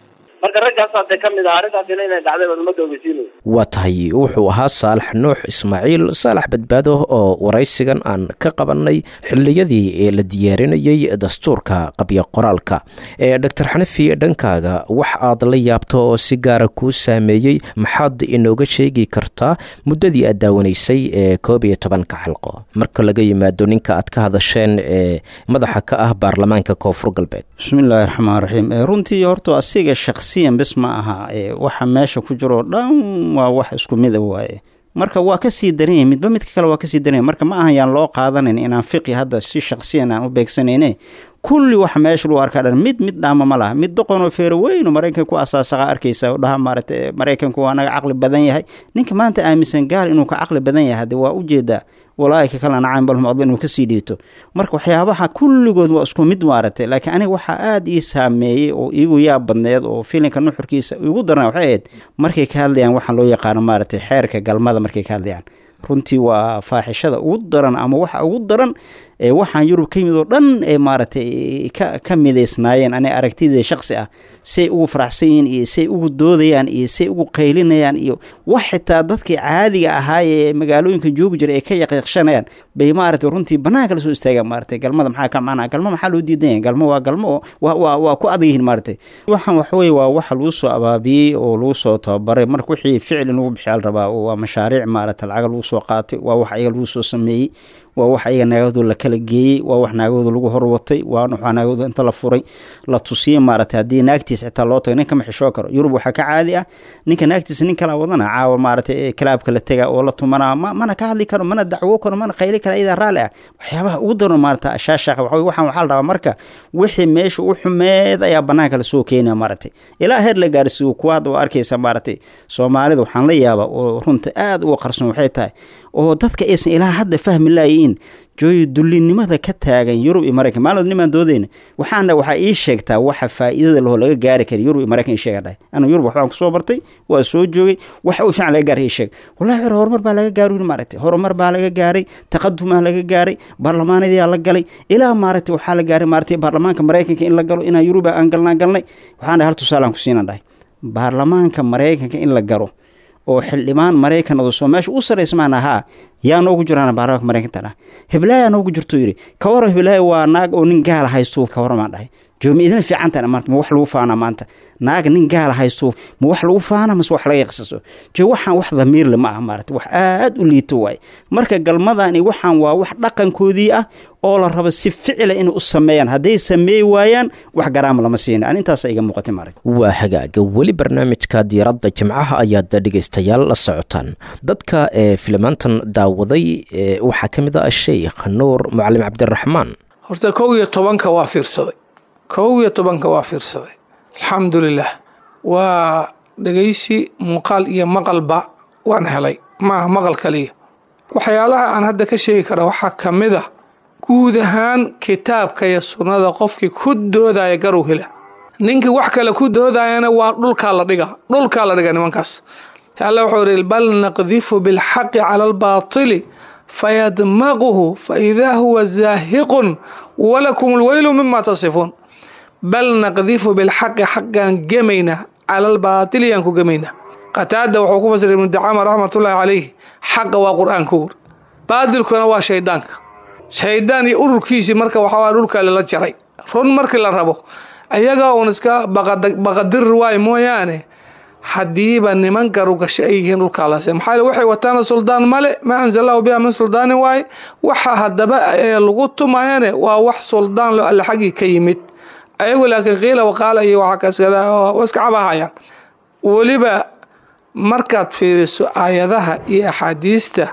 Marka raggaasaa dee kamid ahaa arrintaasina inay dhacday baan ummadda ogeysiinaya. Waa tahay, wuxuu ahaa Saalax Nuux Ismaaciil Saalax Badbaado oo waraysigan aan ka qabanay xilliyadii ee la diyaarinayay dastuurka qabyo qoraalka. Ee Doctor Xanafi, dhankaaga wax aad la yaabto oo si gaara kuu saameeyey maxaad inooga sheegi kartaa muddadii aad daawanaysay ee koob iyo tobanka xalqo marka laga yimaado ninka aad ka hadasheen ee madaxa ka ah baarlamaanka Koonfur Galbeed? Bismillaahi raxmaan raxiim. Runtii horta asiga shakhsiyan bes ma aha, waxa meesha ku jiro dhan waa wax isku mid ah waaye. Marka waa kasii daran yahay, midba midka kale waa kasii daran yahay. Marka ma ahan yaan loo qaadanayn inaan fiqi hadda si shakhsiyan aan u beegsanayne. Kulli wax meesha lagu arkaa dhan mid mid dhaama ma laha. Mid doqon oo feero weyn oo Maraykanka ku asaasaqa arkaysa oo dhaha maaragtay Maraykanku waa naga caqli badan yahay. Ninka maanta aaminsan gaal inuu ka caqli badan yahay hadde waa ujeedaa walaahi ka kalena caan balhum adla inuu kasii dhiito. Marka waxyaabaha kulligood waa isku mid maaragtay. Laakiin aniga waxaa aada ii saameeyey oo iigu yaab badneed oo filinka nuxurkiisa igu daran waxay ahayd markay ka hadlayaan waxaan loo yaqaano maaragtay xeerka galmada. Markay ka hadlayaan runtii waa faaxishada ugu daran ama waxa ugu daran Ee waxaan Yurub ka yimid oo dhan ee maaragtay ka ka midaysnaayeen, ani aragtidii shaqsi ah, say ugu faraxsan yihiin iyo say ugu doodayaan iyo say ugu qaylinayaan iyo wax xitaa dadkii caadiga ahaa ee magaalooyinka joogi jiray ay ka yaqiiqshanayaan bay maaragtay runtii banaanka la soo istaagaan. Maaragtay galmada maxaa ka macnaa? Galmo maxaa loo diidan yahay? Galmo waa galmo oo waa waa waa ku adag yihiin. Maaragtay waxaan waxa weeye waa waxa lagu soo abaabiyey oo lagu soo tababaray. Marka wixii ficil in lagu bixiyaa la rabaa oo waa mashaariic maaragtay lacag lagu soo qaatay, waa wax ayaga lagu soo sameeyey, waa wax ayaga naagahooda la kala geeyey, waa wax naagahooda lagu horwatay, waa waxaa naagahooda inta la furay la tusiyey. Maaragtay haddii naagtiis xitaa loo tago, ninka ma xishoo karo. Yurub waxaa ka caadi ah ninka naagtiisa nin kala wadana caawa maaragtay kalaabka la tega oo la tumanaa, ma mana ka hadli karo, mana dacwo karo, mana qayli karo, iyadaa raalli ah. Waxyaabaha ugu daran maaragtay ashaashaqa waxa waxaan waxaa la rabaa marka wixii meesha u xumeed ayaa banaanka lasoo keenaya, maaragtay ilaa heer la gaarsiiyo. Kuwa hadda waa arkaysa maaragtay Soomaalida waxaan la yaabaa oo runta aad uga qarsoon waxay tahay oo dadka aysan ilaa hadda fahmi laayiin jooyo dullinimada ka taagan Yurub iyo Maraykan. Maalin nimaan doodayna waxaana waxaa ii sheegtaa waxa faa'iidada lahoo laga gaari kara Yurub iyo Maraykan. Ii sheega dhahay, anu Yurub waxbaan kusoo bartay, waa soo joogay, waxa u fiican laga gaaray ii sheeg. Wallahi xor horumar baa laga gaaray maaragtay, horumar baa laga gaaray, taqadumaa laga gaaray, baarlamaanadii la galay, ilaa maaragtay waxaa la gaaray maaragtay baarlamaanka Maraykanka in la galo, inaan Yurub aan galnaa galnay. Waxaan dhahay hal tusaalaan ku siinan dhahay, baarlamaanka Maraykanka in la galo oo xildhibaan Maraykan oo soo meesha u sarreysmaan ahaa yaa noogu jiraan baarlamaanka Maraykanka ah, hiblaayaa noogu jirto. Yiri ka waran hiblaayo waa naag oo nin gaal haysto, ka waran dhahay joomi idin fiican tahay maanta, ma wax lagu faana maanta naag nin gaal haysto, ma wax lagu faana mase wax laga yaqsaso? Jo waxaan wax damiir leh ma aha maaragtay, wax aad u liito waay. Marka galmadani waxaan waa wax dhaqankoodii ah oo la rabo si ficila inay u sameeyaan. Hadday sameey waayaan wax garaama lama siina. Ani intaas iga muuqatay maaragtay. Waa hagaaga, weli barnaamijka diiradda jimcaha ayaad dhegaystayaal la socotaan. Dadka ee filimaantan daawaday ee waxaa ka mid ah Sheikh Nuur Mucalim Cabdiraxmaan. Horta kow iyo tobanka waa fiirsaday, kow iyo tobanka waa fiirsaday, alxamdulilah. Waa dhegaysi muuqaal iyo maqalba waan helay, maaha maqal kaliya. Waxyaalaha aan hadda ka sheegi kara waxaa ka mid a guud ahaan kitaabka iyo sunnada qofkii ku doodaya garow hela, ninkii wax kale ku doodayana waa dhulkaa la dhiga, dhulkaa la dhiga nimankaas. Alla wuxuu yidhi bal naqdifu bilxaqi cala albaatili fayadmaquhu faidaa huwa zaahiqun walakum alweylu mima tasifuun. Bal naqdifu bilxaqi, xaqaan gemaynaa, cala albaatili yaan ku gemaynaa. Qataada wuxuu ku fasiray Ibnu Dacaama raxmatullaahi calayh, xaqa waa Qur-aanka wur, baatilkuna waa shaydaanka, shaydaan iyo ururkiisii. Marka waxaa waa dhulka lala jaray run markii la rabo, ayaga uun iska baqadir waay mooyaane. Haddiiba niman garugasho ay yihiin dhulkaa lase, maxaa yeele waxay wataana suldaan male, maa anzalallahu biha min suldaanin waaye. Waxa haddaba ee lagu tumayane waa wax suldaan lo alle xaggii ka yimid ayagu, laakiin qiila waqaala iyo waxa kaskada waa iska cabahayaan. Weliba markaad fiiriso aayadaha iyo axaadiista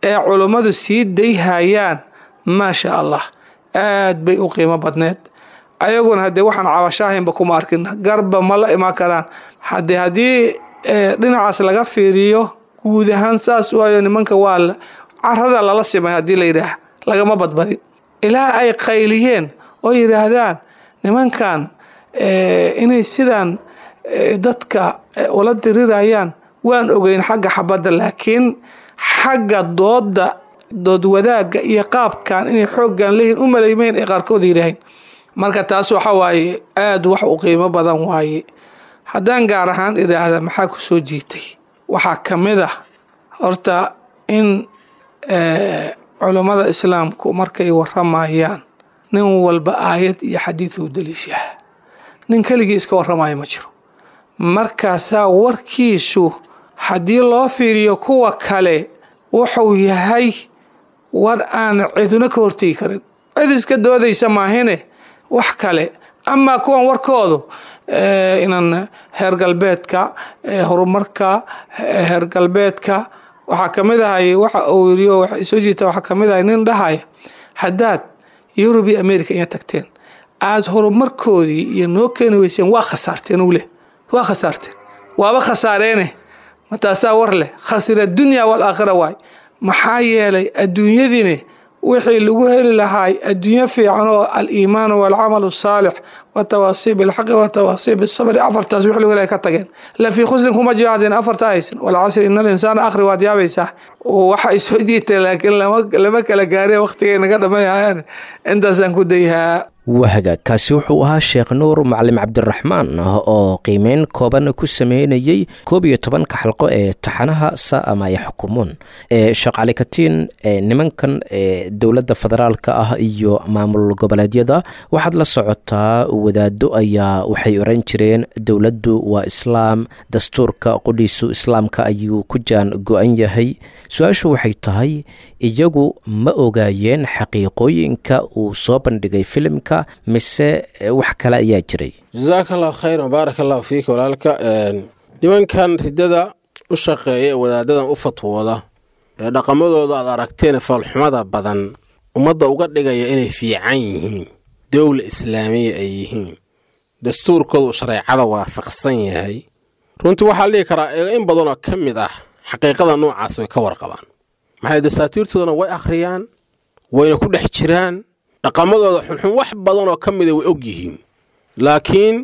ee culummadu sii dayhayaan, maasha Allah, aad bay u qiimo badneed. Ayaguna haddee waxaan cabashaahaynba kuma arkin, garba ma la imaan karaan. Haddee haddii dhinacaas laga fiiriyo guud ahaan saas waayo, nimanka waa carada lala simay haddii la yidhaah, lagama badbadin ilaa ay qayliyeen oo yidhaahdaan nimankan inay sidaan dadka ula dirirayaan waan ogeyn xagga xabadda, laakiin xagga dooda, dood wadaagga iyo qaabkan inay xooggan leeyihin u malaymeyn ay qaarkood yidhaaheen. Marka taas waxa waaye aada wax u qiimo badan waaye. Haddaan gaar ahaan idhaahda maxaa ku soo jiitay, waxaa ka mid ah horta in culummada islaamku markay waramayaan nin walba aayad iyo xadiid uu daliishaa, nin keligii iska warramaya ma jiro. Markaasaa warkiisu haddii loo fiiriyo kuwa kale wuxuu yahay war aan ciduna ka hortegi karin, cid iska doodaysa maahine wax kale. Amaa kuwan warkoodu inaan heer galbeedka horumarka heer galbeedka waxaa ka mid ahay waxa uu yiri waxa soo jiita, waxaa ka mid ahay nin dhahaya haddaad Yurub iyo America iya tagteen aada horumarkoodii iyo noo keeni weyseen waa khasaarteen, uu leh waa khasaarteen, waaba khasaareene mataasaa war leh, khasira dunya wal aakhira waay. Maxaa yeelay adduunyadiina Wixii lagu heli lahaay adduunyo fiican oo aliimaanu waalcamalu asaalix watawaasii bilxaqi watawaasii bisabri, afartaas wixii lagu heli ka tageen. La fii khusrin kuma jiraadeen afarta haysan. Walcasri ina alinsaana akhri, waad yaabaysaa waxa ay soo jiitay, laakiin lama lama kala gaareen waqtigay naga dhamayayaan. Intaasaan ku dayhaa. Wahagaag, kaasi wuxuu ahaa Sheekh Nuur Macalin Cabdiraxmaan oo qiimeyn kooban ku sameynayey koob iyo tobanka xalqo ee taxanaha Saa Maa Yaxkumuun. Sheekh Cali Katiin, nimankan dowladda federaalka ah iyo maamul goboleedyada waxaad la socotaa wadaado ayaa waxay oran jireen dowladdu waa islaam, dastuurka qudhiisu islaamka ayuu ku jaan go-an yahay. Su-aashu waxay tahay, iyagu ma ogaayeen xaqiiqooyinka uu soo bandhigay filimka mise wax kale ayaa jiray? Jasaaka allahu khayran, baaraka allahu fiika walaalka. Nimankan riddada u shaqeeya ee wadaadadan u fatwooda ee dhaqamadooda aad aragteen foolxumada badan ummadda uga dhigaya inay fiican yihiin, dowla islaamiya ay yihiin, dastuurkooda uu shareecada waafaqsan yahay, runtii waxaa la dhihi karaa in badanoo ka mid ah xaqiiqada noocaas way ka warqabaan. Maxay dasaatiirtoodana way akhriyaan, wayna ku dhex jiraan, dhaqamadooda xunxun wax badanoo ka mida way og yihiin, laakiin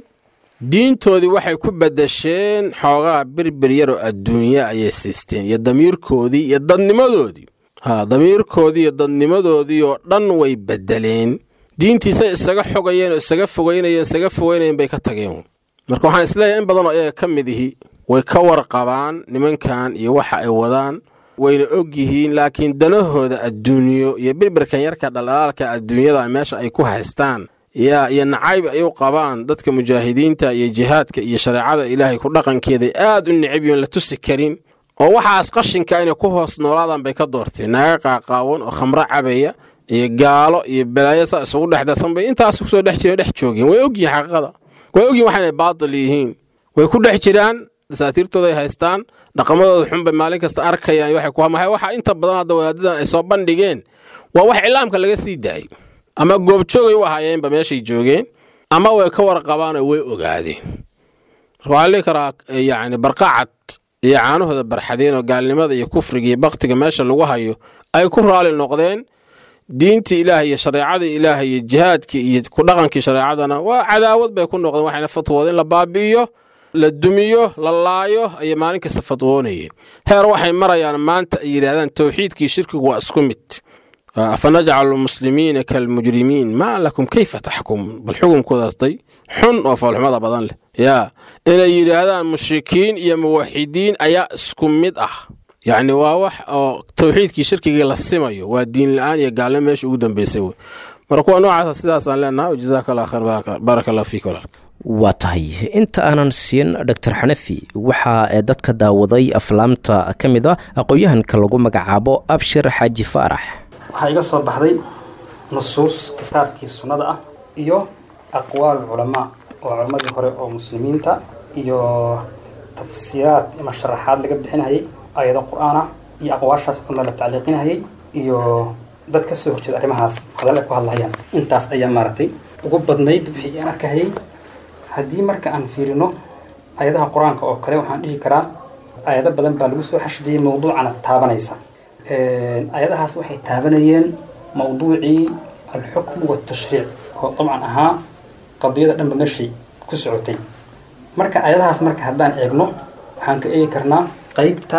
diintoodii waxay ku beddesheen xoogaa berbер yaroo adduunya ayay siisteen, iyo damiirkoodii iyo dadnimadoodii. Haa, damiirkoodii iyo dadnimadoodii oo dhan way beddeleen. Diintiisay isaga xogayeen oo isaga fogeynayeen, isaga fogeynayeen bay ka tageen. Marka waxaan isleeyahay in badanoo iyaga ka mid ihi way ka warqabaan nimankan iyo waxa ay wadaan, wayna og yihiin, laakiin danahooda adduunyo iyo berberkan yarka dhaldhalaalka adduunyada meesha ay ku haystaan yaa iyo nacayb ay u qabaan dadka mujaahidiinta iyo jihaadka iyo shareecada ilaahay ku dhaqankeeday aad u necib yoon la tusi karin, oo waxaas qashinka inay ku hoos noolaadaan bay ka doorteen. Naaga qaaqaawan oo khamro cabaya iyo gaalo iyo balaayo saa isugu dhex darsan bay intaas kusoo dhex jireen, dhex joogeen. Way ogyihiin xaqiiqada, way ogyihin waxaanay baatil yihiin, way ku dhex jiraan, dasaatiirtooda ay haystaan, dhaqamadooda xun bay maalin kasta arkayaan. Waxay ku hamahay waxa inta badan hadda wadaadadan ay soo bandhigeen waa wax cilaamka laga sii daayay, ama goobjoogay u ahaayeenba meeshay joogeen, ama way ka warqabaan oo way ogaadeen. Marka waxaa la dhihi karaa yacni barqacad iyo caanahooda barxadeen oo gaalnimada iyo kufriga iyo baktiga meesha lagu hayo ay ku raali noqdeen. Diintii ilaahay iyo shareecadii ilaahay iyo jihaadkii iyo ku dhaqankii shareecadana waa cadaawad bay ku noqdeen. Waxayna fatwooda in la baabi'iyo, la dumiyo, la laayo ayay maalin kasta fatwoonayeen. Heer waxay marayaan maanta ay yidhaahdaan towxiidkii shirkigu waa isku mid. Afanajcalu lmuslimiina kalmujrimiin maa lakum kayfa taxkumuun. Bal xukunkoodaas day xun oo foolxumada badan leh yaa inay yidhaahdaan mushrikiin iyo muwaxidiin ayaa isku mid ah. Yacni waa wax oo towxiidkii shirkigii la simayo, waa diin la-aan iyo gaalnimo meesha ugu dambeysay wey. Marka kuwa noocaasa sidaasaan leenahay. Jazaaka allah khayr, baaraka allah fiik walaal. Waa tahay, inta aanan siin Doctor Xanafi, waxaa dadka daawaday aflaamta ka mid a aqoon-yahanka lagu magacaabo Abshir Xaaji Faarax. Waxaa iga soo baxday nusuus kitaabkii sunnada ah iyo aqwaal culamaa oo culammadii hore oo muslimiinta iyo tafsiiraad ama sharaxaad laga bixinayay aayado qur-aan ah iyo aqwaashaas culimada la tacliiqinayay iyo dad ka soo horjeeda arrimahaas hadal ay ku hadlahayaan. Intaas ayaa maaragtay ugu badnayd wixii aan arkahayay. Haddii marka aan fiirino aayadaha qur-aanka oo kale, waxaan dhihi karaa aayado badan baa lagu soo xashdiyey mawduucana taabanaysa. Aayadahaas waxay taabanayeen mawduucii alxukmu waltashriic oo dabcan ahaa qadiyada dhanba meeshay ku socotay. Marka aayadahaas marka haddaan eegno, waxaan ka eegi karnaa qeybta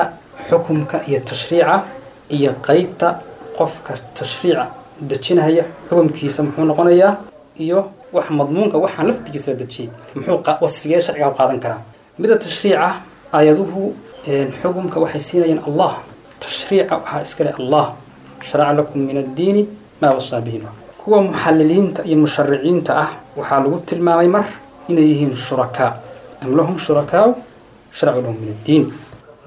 xukumka iyo tashriica iyo qeybta qofka tashriica dejinaya xukumkiisa muxuu noqonayaa, iyo wax madmuunka waxaan laftigiisa la dejiyey muxuu wasfigee sharciga u qaadan karaa. Midda tashriica, aayaduhu xukumka waxay siinayeen Allah, tashriica waxaa iskale Allah. Sharaca lakum min addiini maa wasaa bihi. Kuwa muxalliliinta iyo mushariciinta ah waxaa lagu tilmaamay mar inay yihiin shurakaa, am lahum shurakaau sharcu lahum min addiin.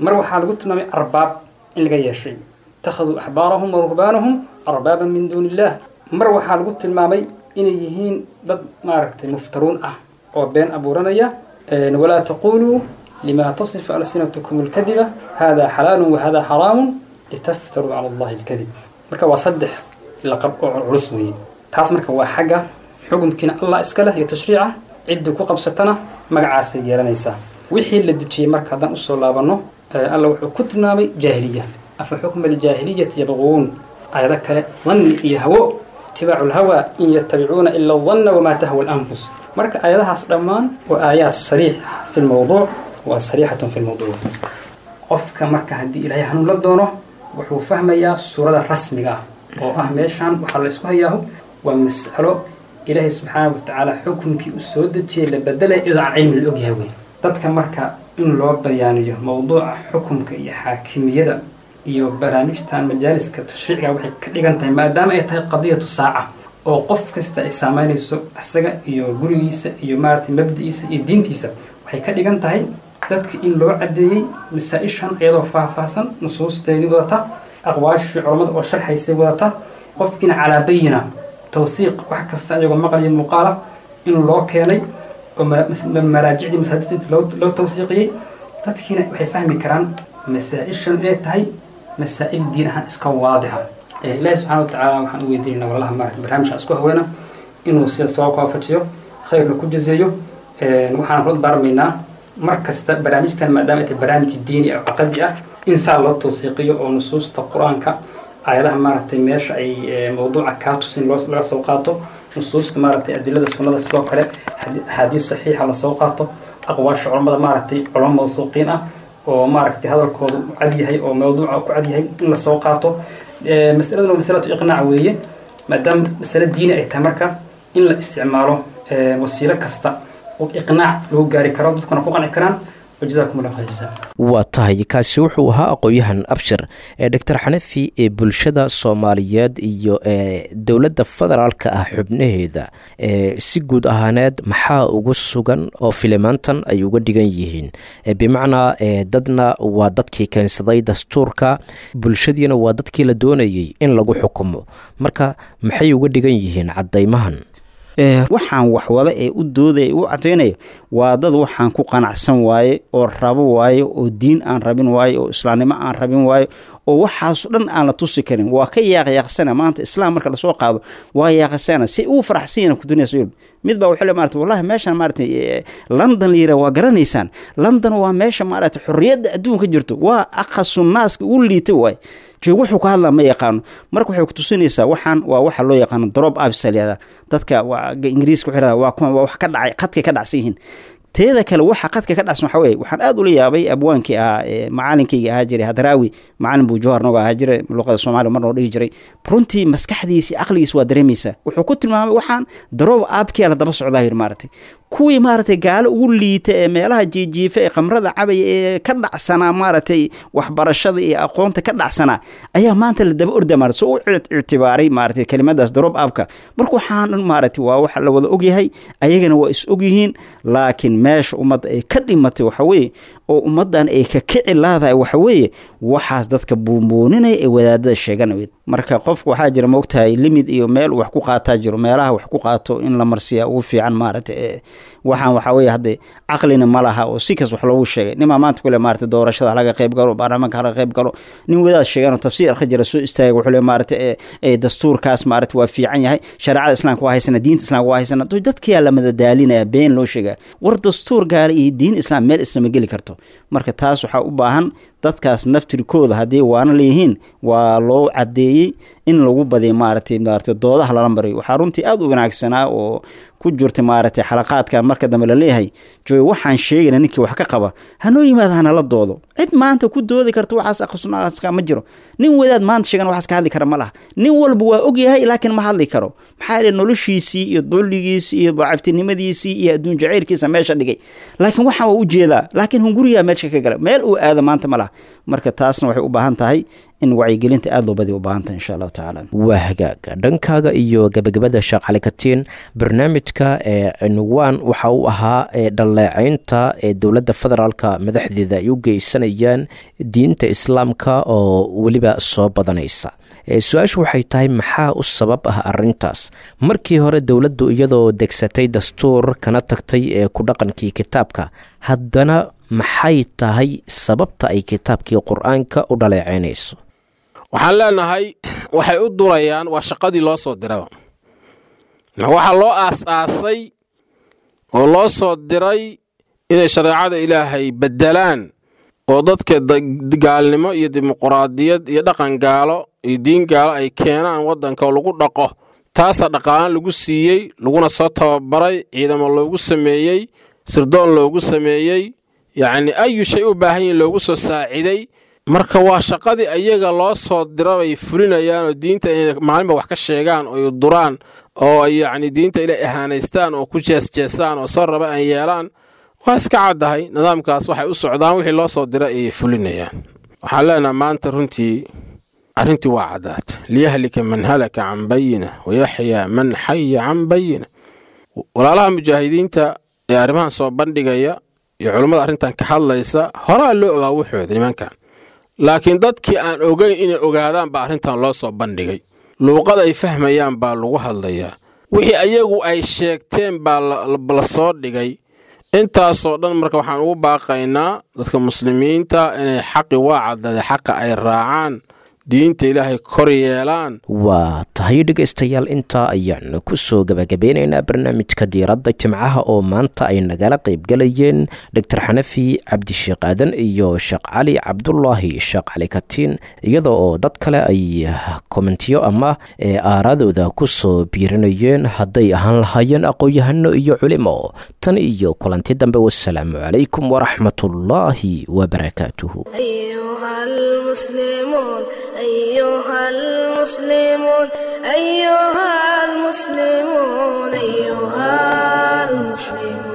Mar waxaa lagu tilmaamay arbaab in laga yeeshay, ittakhaduu axbaarahum wa ruhbaanahum arbaaban min duuni illaah. Mar waxaa lagu tilmaamay inay yihiin dad maaragtay muftaruun ah oo been abuuranaya, walaa taquluu lima tasifu alsinatukum alkadiba hada xalaalun wahada xaraamun litaftaruu cala allahi alkadib. Marka waa saddex laqab oo culus weeye taas. Marka waa xagga xukumkiina Allah iska leh iyo tashriica, ciddii ku qabsatana magacaasay yeelanaysaa. Wixii la dejiyey marka haddaan usoo laabanno, Alla wuxuu ku tilmaamay jaahiliya, afa xukma aljaahiliyati yabquun. Aayado kale dhanni iyo hawo, itibaacu lhawa in yatabicuuna ila danna wamaa tahwa alanfus. Marka aayadahaas dhammaan waa aayaad sariix fi lmowduuc, waa sariixatun fi lmowduuc. Qofka marka haddii Ilaahay hanuun la doono wuxuu fahmayaa suurada rasmiga ah oo ah meeshan waxaa la isku hayaahu waa mas'alo Ilaahay subxaana watacaala xukunkii uu soo dejiyey la bedelay iyadoo aan cilmi la ogyahay wey. Dadka marka in loo bayaaniyo mowduuca xukunka iyo xaakimiyada iyo barnaamijtan majaaliska tashriiciga waxay ka dhigan tahay, maadaama ay tahay qadiyatu saaca oo qof kasta ay saameynayso isaga iyo gurigiisa iyo maaragtay mabdi'iisa iyo diintiisa, waxay ka dhigan tahay dadka in loo caddeeyey masaa-ishan iyadoo faahfaahsan, nusuusteedii wadata, aqwaashii culammada oo sharxaysay wadata, qofkiina calaa bayina tawsiiq wax kasta iyagoo maqal iyo muuqaala in loo keenay oo maraajicdii masaajidta loo loo tawsiiqiyey. Dadkiina waxay fahmi karaan masaa-ishan inay tahay masaa'il diin ahaan iska waadixa. Ilaahi subxana watacaala waxaan u weydiinaynaa walaalaha maarata barnaamijka isku haweena inuu sida sawaab ku waafajiyo, khayrna ku jazeeyo. Waxaan kula darmaynaa mar kasta barnaamijtan maadaama ay tahay barnaamij diini oo caqadi ah in saa loo tawsiiqiyo oo nusuusta Qur-aanka aayadaha maaragtay meesha ay mowduuca kaa tusin loo laga soo qaato, nusuusta maaragtay adilada sunnada sidoo kale axaadiis saxiixa lasoo qaato, aqwaasha culammada maaragtay culamo mawsuuqiin ah oo maaragtay hadalkoodu u cad yahay oo mowduuca ku cad yahay in lasoo qaato. Masaladuna waa masalatu iqnaac weeye, maadaama masale diini ay tahay marka in la isticmaalo wasiilo kasta oo iqnaac lagu gaari karo, dadkuna ku qanci karaan. Wajazaakum allahu khayr jazaa. Waa tahay, kaasi wuxuu ahaa aqoon-yahan Abshir. Ee Doctor Xanafi, ee bulshada Soomaaliyeed iyo ee dowladda federaalka ah xubnaheeda ee si guud ahaaneed maxaa ugu sugan oo filimaantan ay uga dhigan yihiin? Bimacnaa ee dadna waa dadkii keensaday dastuurka, bulshadiina waa dadkii la doonayey in lagu xukumo, marka maxay uga dhigan yihiin caddaymahan? Waxaan waxwada ee u doodaya u cadaynaya waa dad waxaan ku qanacsan waaye oo rabo waaye oo diin aan rabin waaye oo islaamnimo aan rabin waaye oo waxaaso dhan aan la tusi karin. Waa ka yaaqyaaqsana maanta islaam marka lasoo qaado, waa yaaqasana si uu faraxsan yahay ku dunyada. Mid baa wuxuu le maarata wallahi meeshan maarata London la yiraah waa garanaysaan, London waa meesha maarata xorriyadda adduunka jirto, waa aqasu naaska ugu liitay waaye joog, wuxuu ka hadlaa ma yaqaano. Marka waxay ku tusinaysaa waxaan waa waxa loo yaqaano drop ups la yihahdaa, dadka waa Ingiriiska waxay yidhahdaa waa kuwan waa wax ka dhacay qadkay ka dhacsan yihiin. Teeda kale waxa qadka ka dhacsan waxa weeye, waxaan aad ula yaabay abwaankii ahaa ee macalinkayga ahaa jiray Hadraawi, macalin buu Jowhar nooga ahaa jiray luqada Soomaaliya mar noo dhigi jiray. Runtii maskaxdiisa iyo aqligiisa waa dareemaysaa. Wuxuu ku tilmaamay waxaan drop upkii la daba socdaa yiri maaragtay kuwii maaragtay gaalo ugu liita ee meelaha jiijiifa ee khamrada cabaya ee ka dhacsanaa maaragtay waxbarashada iyo aqoonta ka dhacsanaa ayaa maanta la daba orda maaragtay soo u ictibaaray maaragtay kelimadaas drop upka. Marka waxaan dhan maaragtay waa waxa la wada ogyahay, ayagana waa is ogyihiin, laakiin meesha ummadda ay ka dhimatay waxa weeye oo ummaddan ay ka kici laadahay waxa weeye waxaas dadka buunbuuninaya ee wadaadada sheeganaya. Marka qofku waxaa jira moogtahay limid iyo meel wax ku qaataa jiro, meelaha wax ku qaato in la marsiyaa ugu fiican maaragtay. Waxaan waxaa weeye hadde caqlina ma laha oo si kas wax loogu sheegay. Nimaa maanta kule maaragtay doorashada halaga qayb galo, baarlamaanka halaga qayb galo, nin wadaad sheegan oo tafsiir akhri jira soo istaagay wuxuu le maaragtay ee dastuurkaas maaragtay waa fiican yahay, shareecada islaamka waa haysana, diinta islaamka waa haysana. Dadkiyaa la madadaalinaya, been loo sheegaya, war dastuur gaara iyo diin islaam meel islama geli karto. Marka taas waxaa u baahan dadkaas naftirkooda haddii waana leeyihiin waa loo caddeeyey in lagu badiyo maaragtay maaragtay doodaha lala mariyo. Waxaa runtii aada u wanaagsanaa oo ku jirta maaragtay xalaqaadka marka dambe laleeyahay jooy waxaan sheegayna ninkii wax ka qaba hanoo yimaada hanala doodo. Cid maanta ku doodi karta waxaas aqsunaska ma jiro, nin wadaad maanta sheegan waxaas ka hadli kara ma laha. Nin walba waa ogyahay laakiin ma hadli karo, maxaa yeelay noloshiisii iyo dulligiisii iyo daciiftinimadiisii iyo adduun jacaylkiisa meesha dhigay, laakiin waxaan waa u jeedaa, laakiin hunguriyaa meesha ka gala, meel uu aado maanta ma laha. Marka taasna waxay u baahan tahay in wacyigelinta aada loo badiyo u baahan tahay insha allahu tacaala. Waa hagaag, dhankaaga iyo gabagabada Sheekh Cali Katiin, barnaamijka ee cinwaan waxa uu ahaa ee dhaleeceynta ee dowladda federaalka madaxdeeda ay u geysanayaan diinta islaamka oo weliba soo badanaysa. Su-aashu waxay tahay maxaa u sabab ah arintaas? Markii hore dowladdu iyadoo degsatay dastuur kana tagtay ee ku dhaqankii kitaabka, haddana maxay tahay sababta ay kitaabkii Qur-aanka u dhaleeceynayso? Waxaan leenahay waxay u durayaan waa shaqadii loo soo diraba, waxaa loo aas-aasay oo loo soo diray inay shareecada Ilaahay beddelaan Oo dadka gaalnimo iyo dimuquraadiyad iyo dhaqan gaalo iyo diin gaalo ay keenaan waddanka oo lagu dhaqo, taasaa dhaqaalo lagu siiyey, laguna soo tababaray, ciidamo loogu sameeyey, sirdoon loogu sameeyey, yacni ayu shay u baahan yihin loogu soo saaciday. Marka waa shaqadii ayaga loo soo dira bay fulinayaan, oo diinta inay maalinba wax ka sheegaan oo duraan oo ay yacni diinta ilay ahaanaystaan oo ku jeesjeesaan oo soo raba aan yeelaan. Waa iska caddahay nidaamkaas waxay u socdaan, wixii loo soo dira ayay fulinayaan. Waxaan leenaha maanta runtii arrintii waa caddaatay: liyahlika man halaka can bayina wayaxyaa man xaya can bayina. Walaalaha mujaahidiinta ee arrimahan soo bandhigaya iyo culummada arrintan ka hadlaysa, horaa loo ogaa wuxooda nimankan, laakiin dadkii aan ogeyn inay ogaadaan baa arrintan loo soo bandhigay. Luuqad ay fahmayaan baa lagu hadlayaa, wixii ayagu ay sheegteen baa la soo dhigay. Intaasoo dhan marka waxaan ugu baaqaynaa dadka muslimiinta inay xaqi waa caddaday, xaqa ay raacaan, diinta Ilaahay kor yeelaan. Waa tahay dhegaystayaal, intaa ayaan ku soo gabagabeynaynaa barnaamijka Diiradda Jimcaha oo maanta ay nagala qaybgalayeen Doctor Xanafi Cabdisheekh Aadan iyo Sheekh Cali Cabdulaahi Sheekh Cali Katiin, iyadoo oo dad kale ay komentiyo ama aaraadooda ku soo biirinayeen hadday ahaan lahaayeen aqoon-yahano iyo culimo. Tan iyo kulanti dambe, wasalaamu calaykum waraxmatullaahi wabarakaatuhu. أيها المسلمون، أيها المسلمون، أيها المسلمون، أيها المسلمون.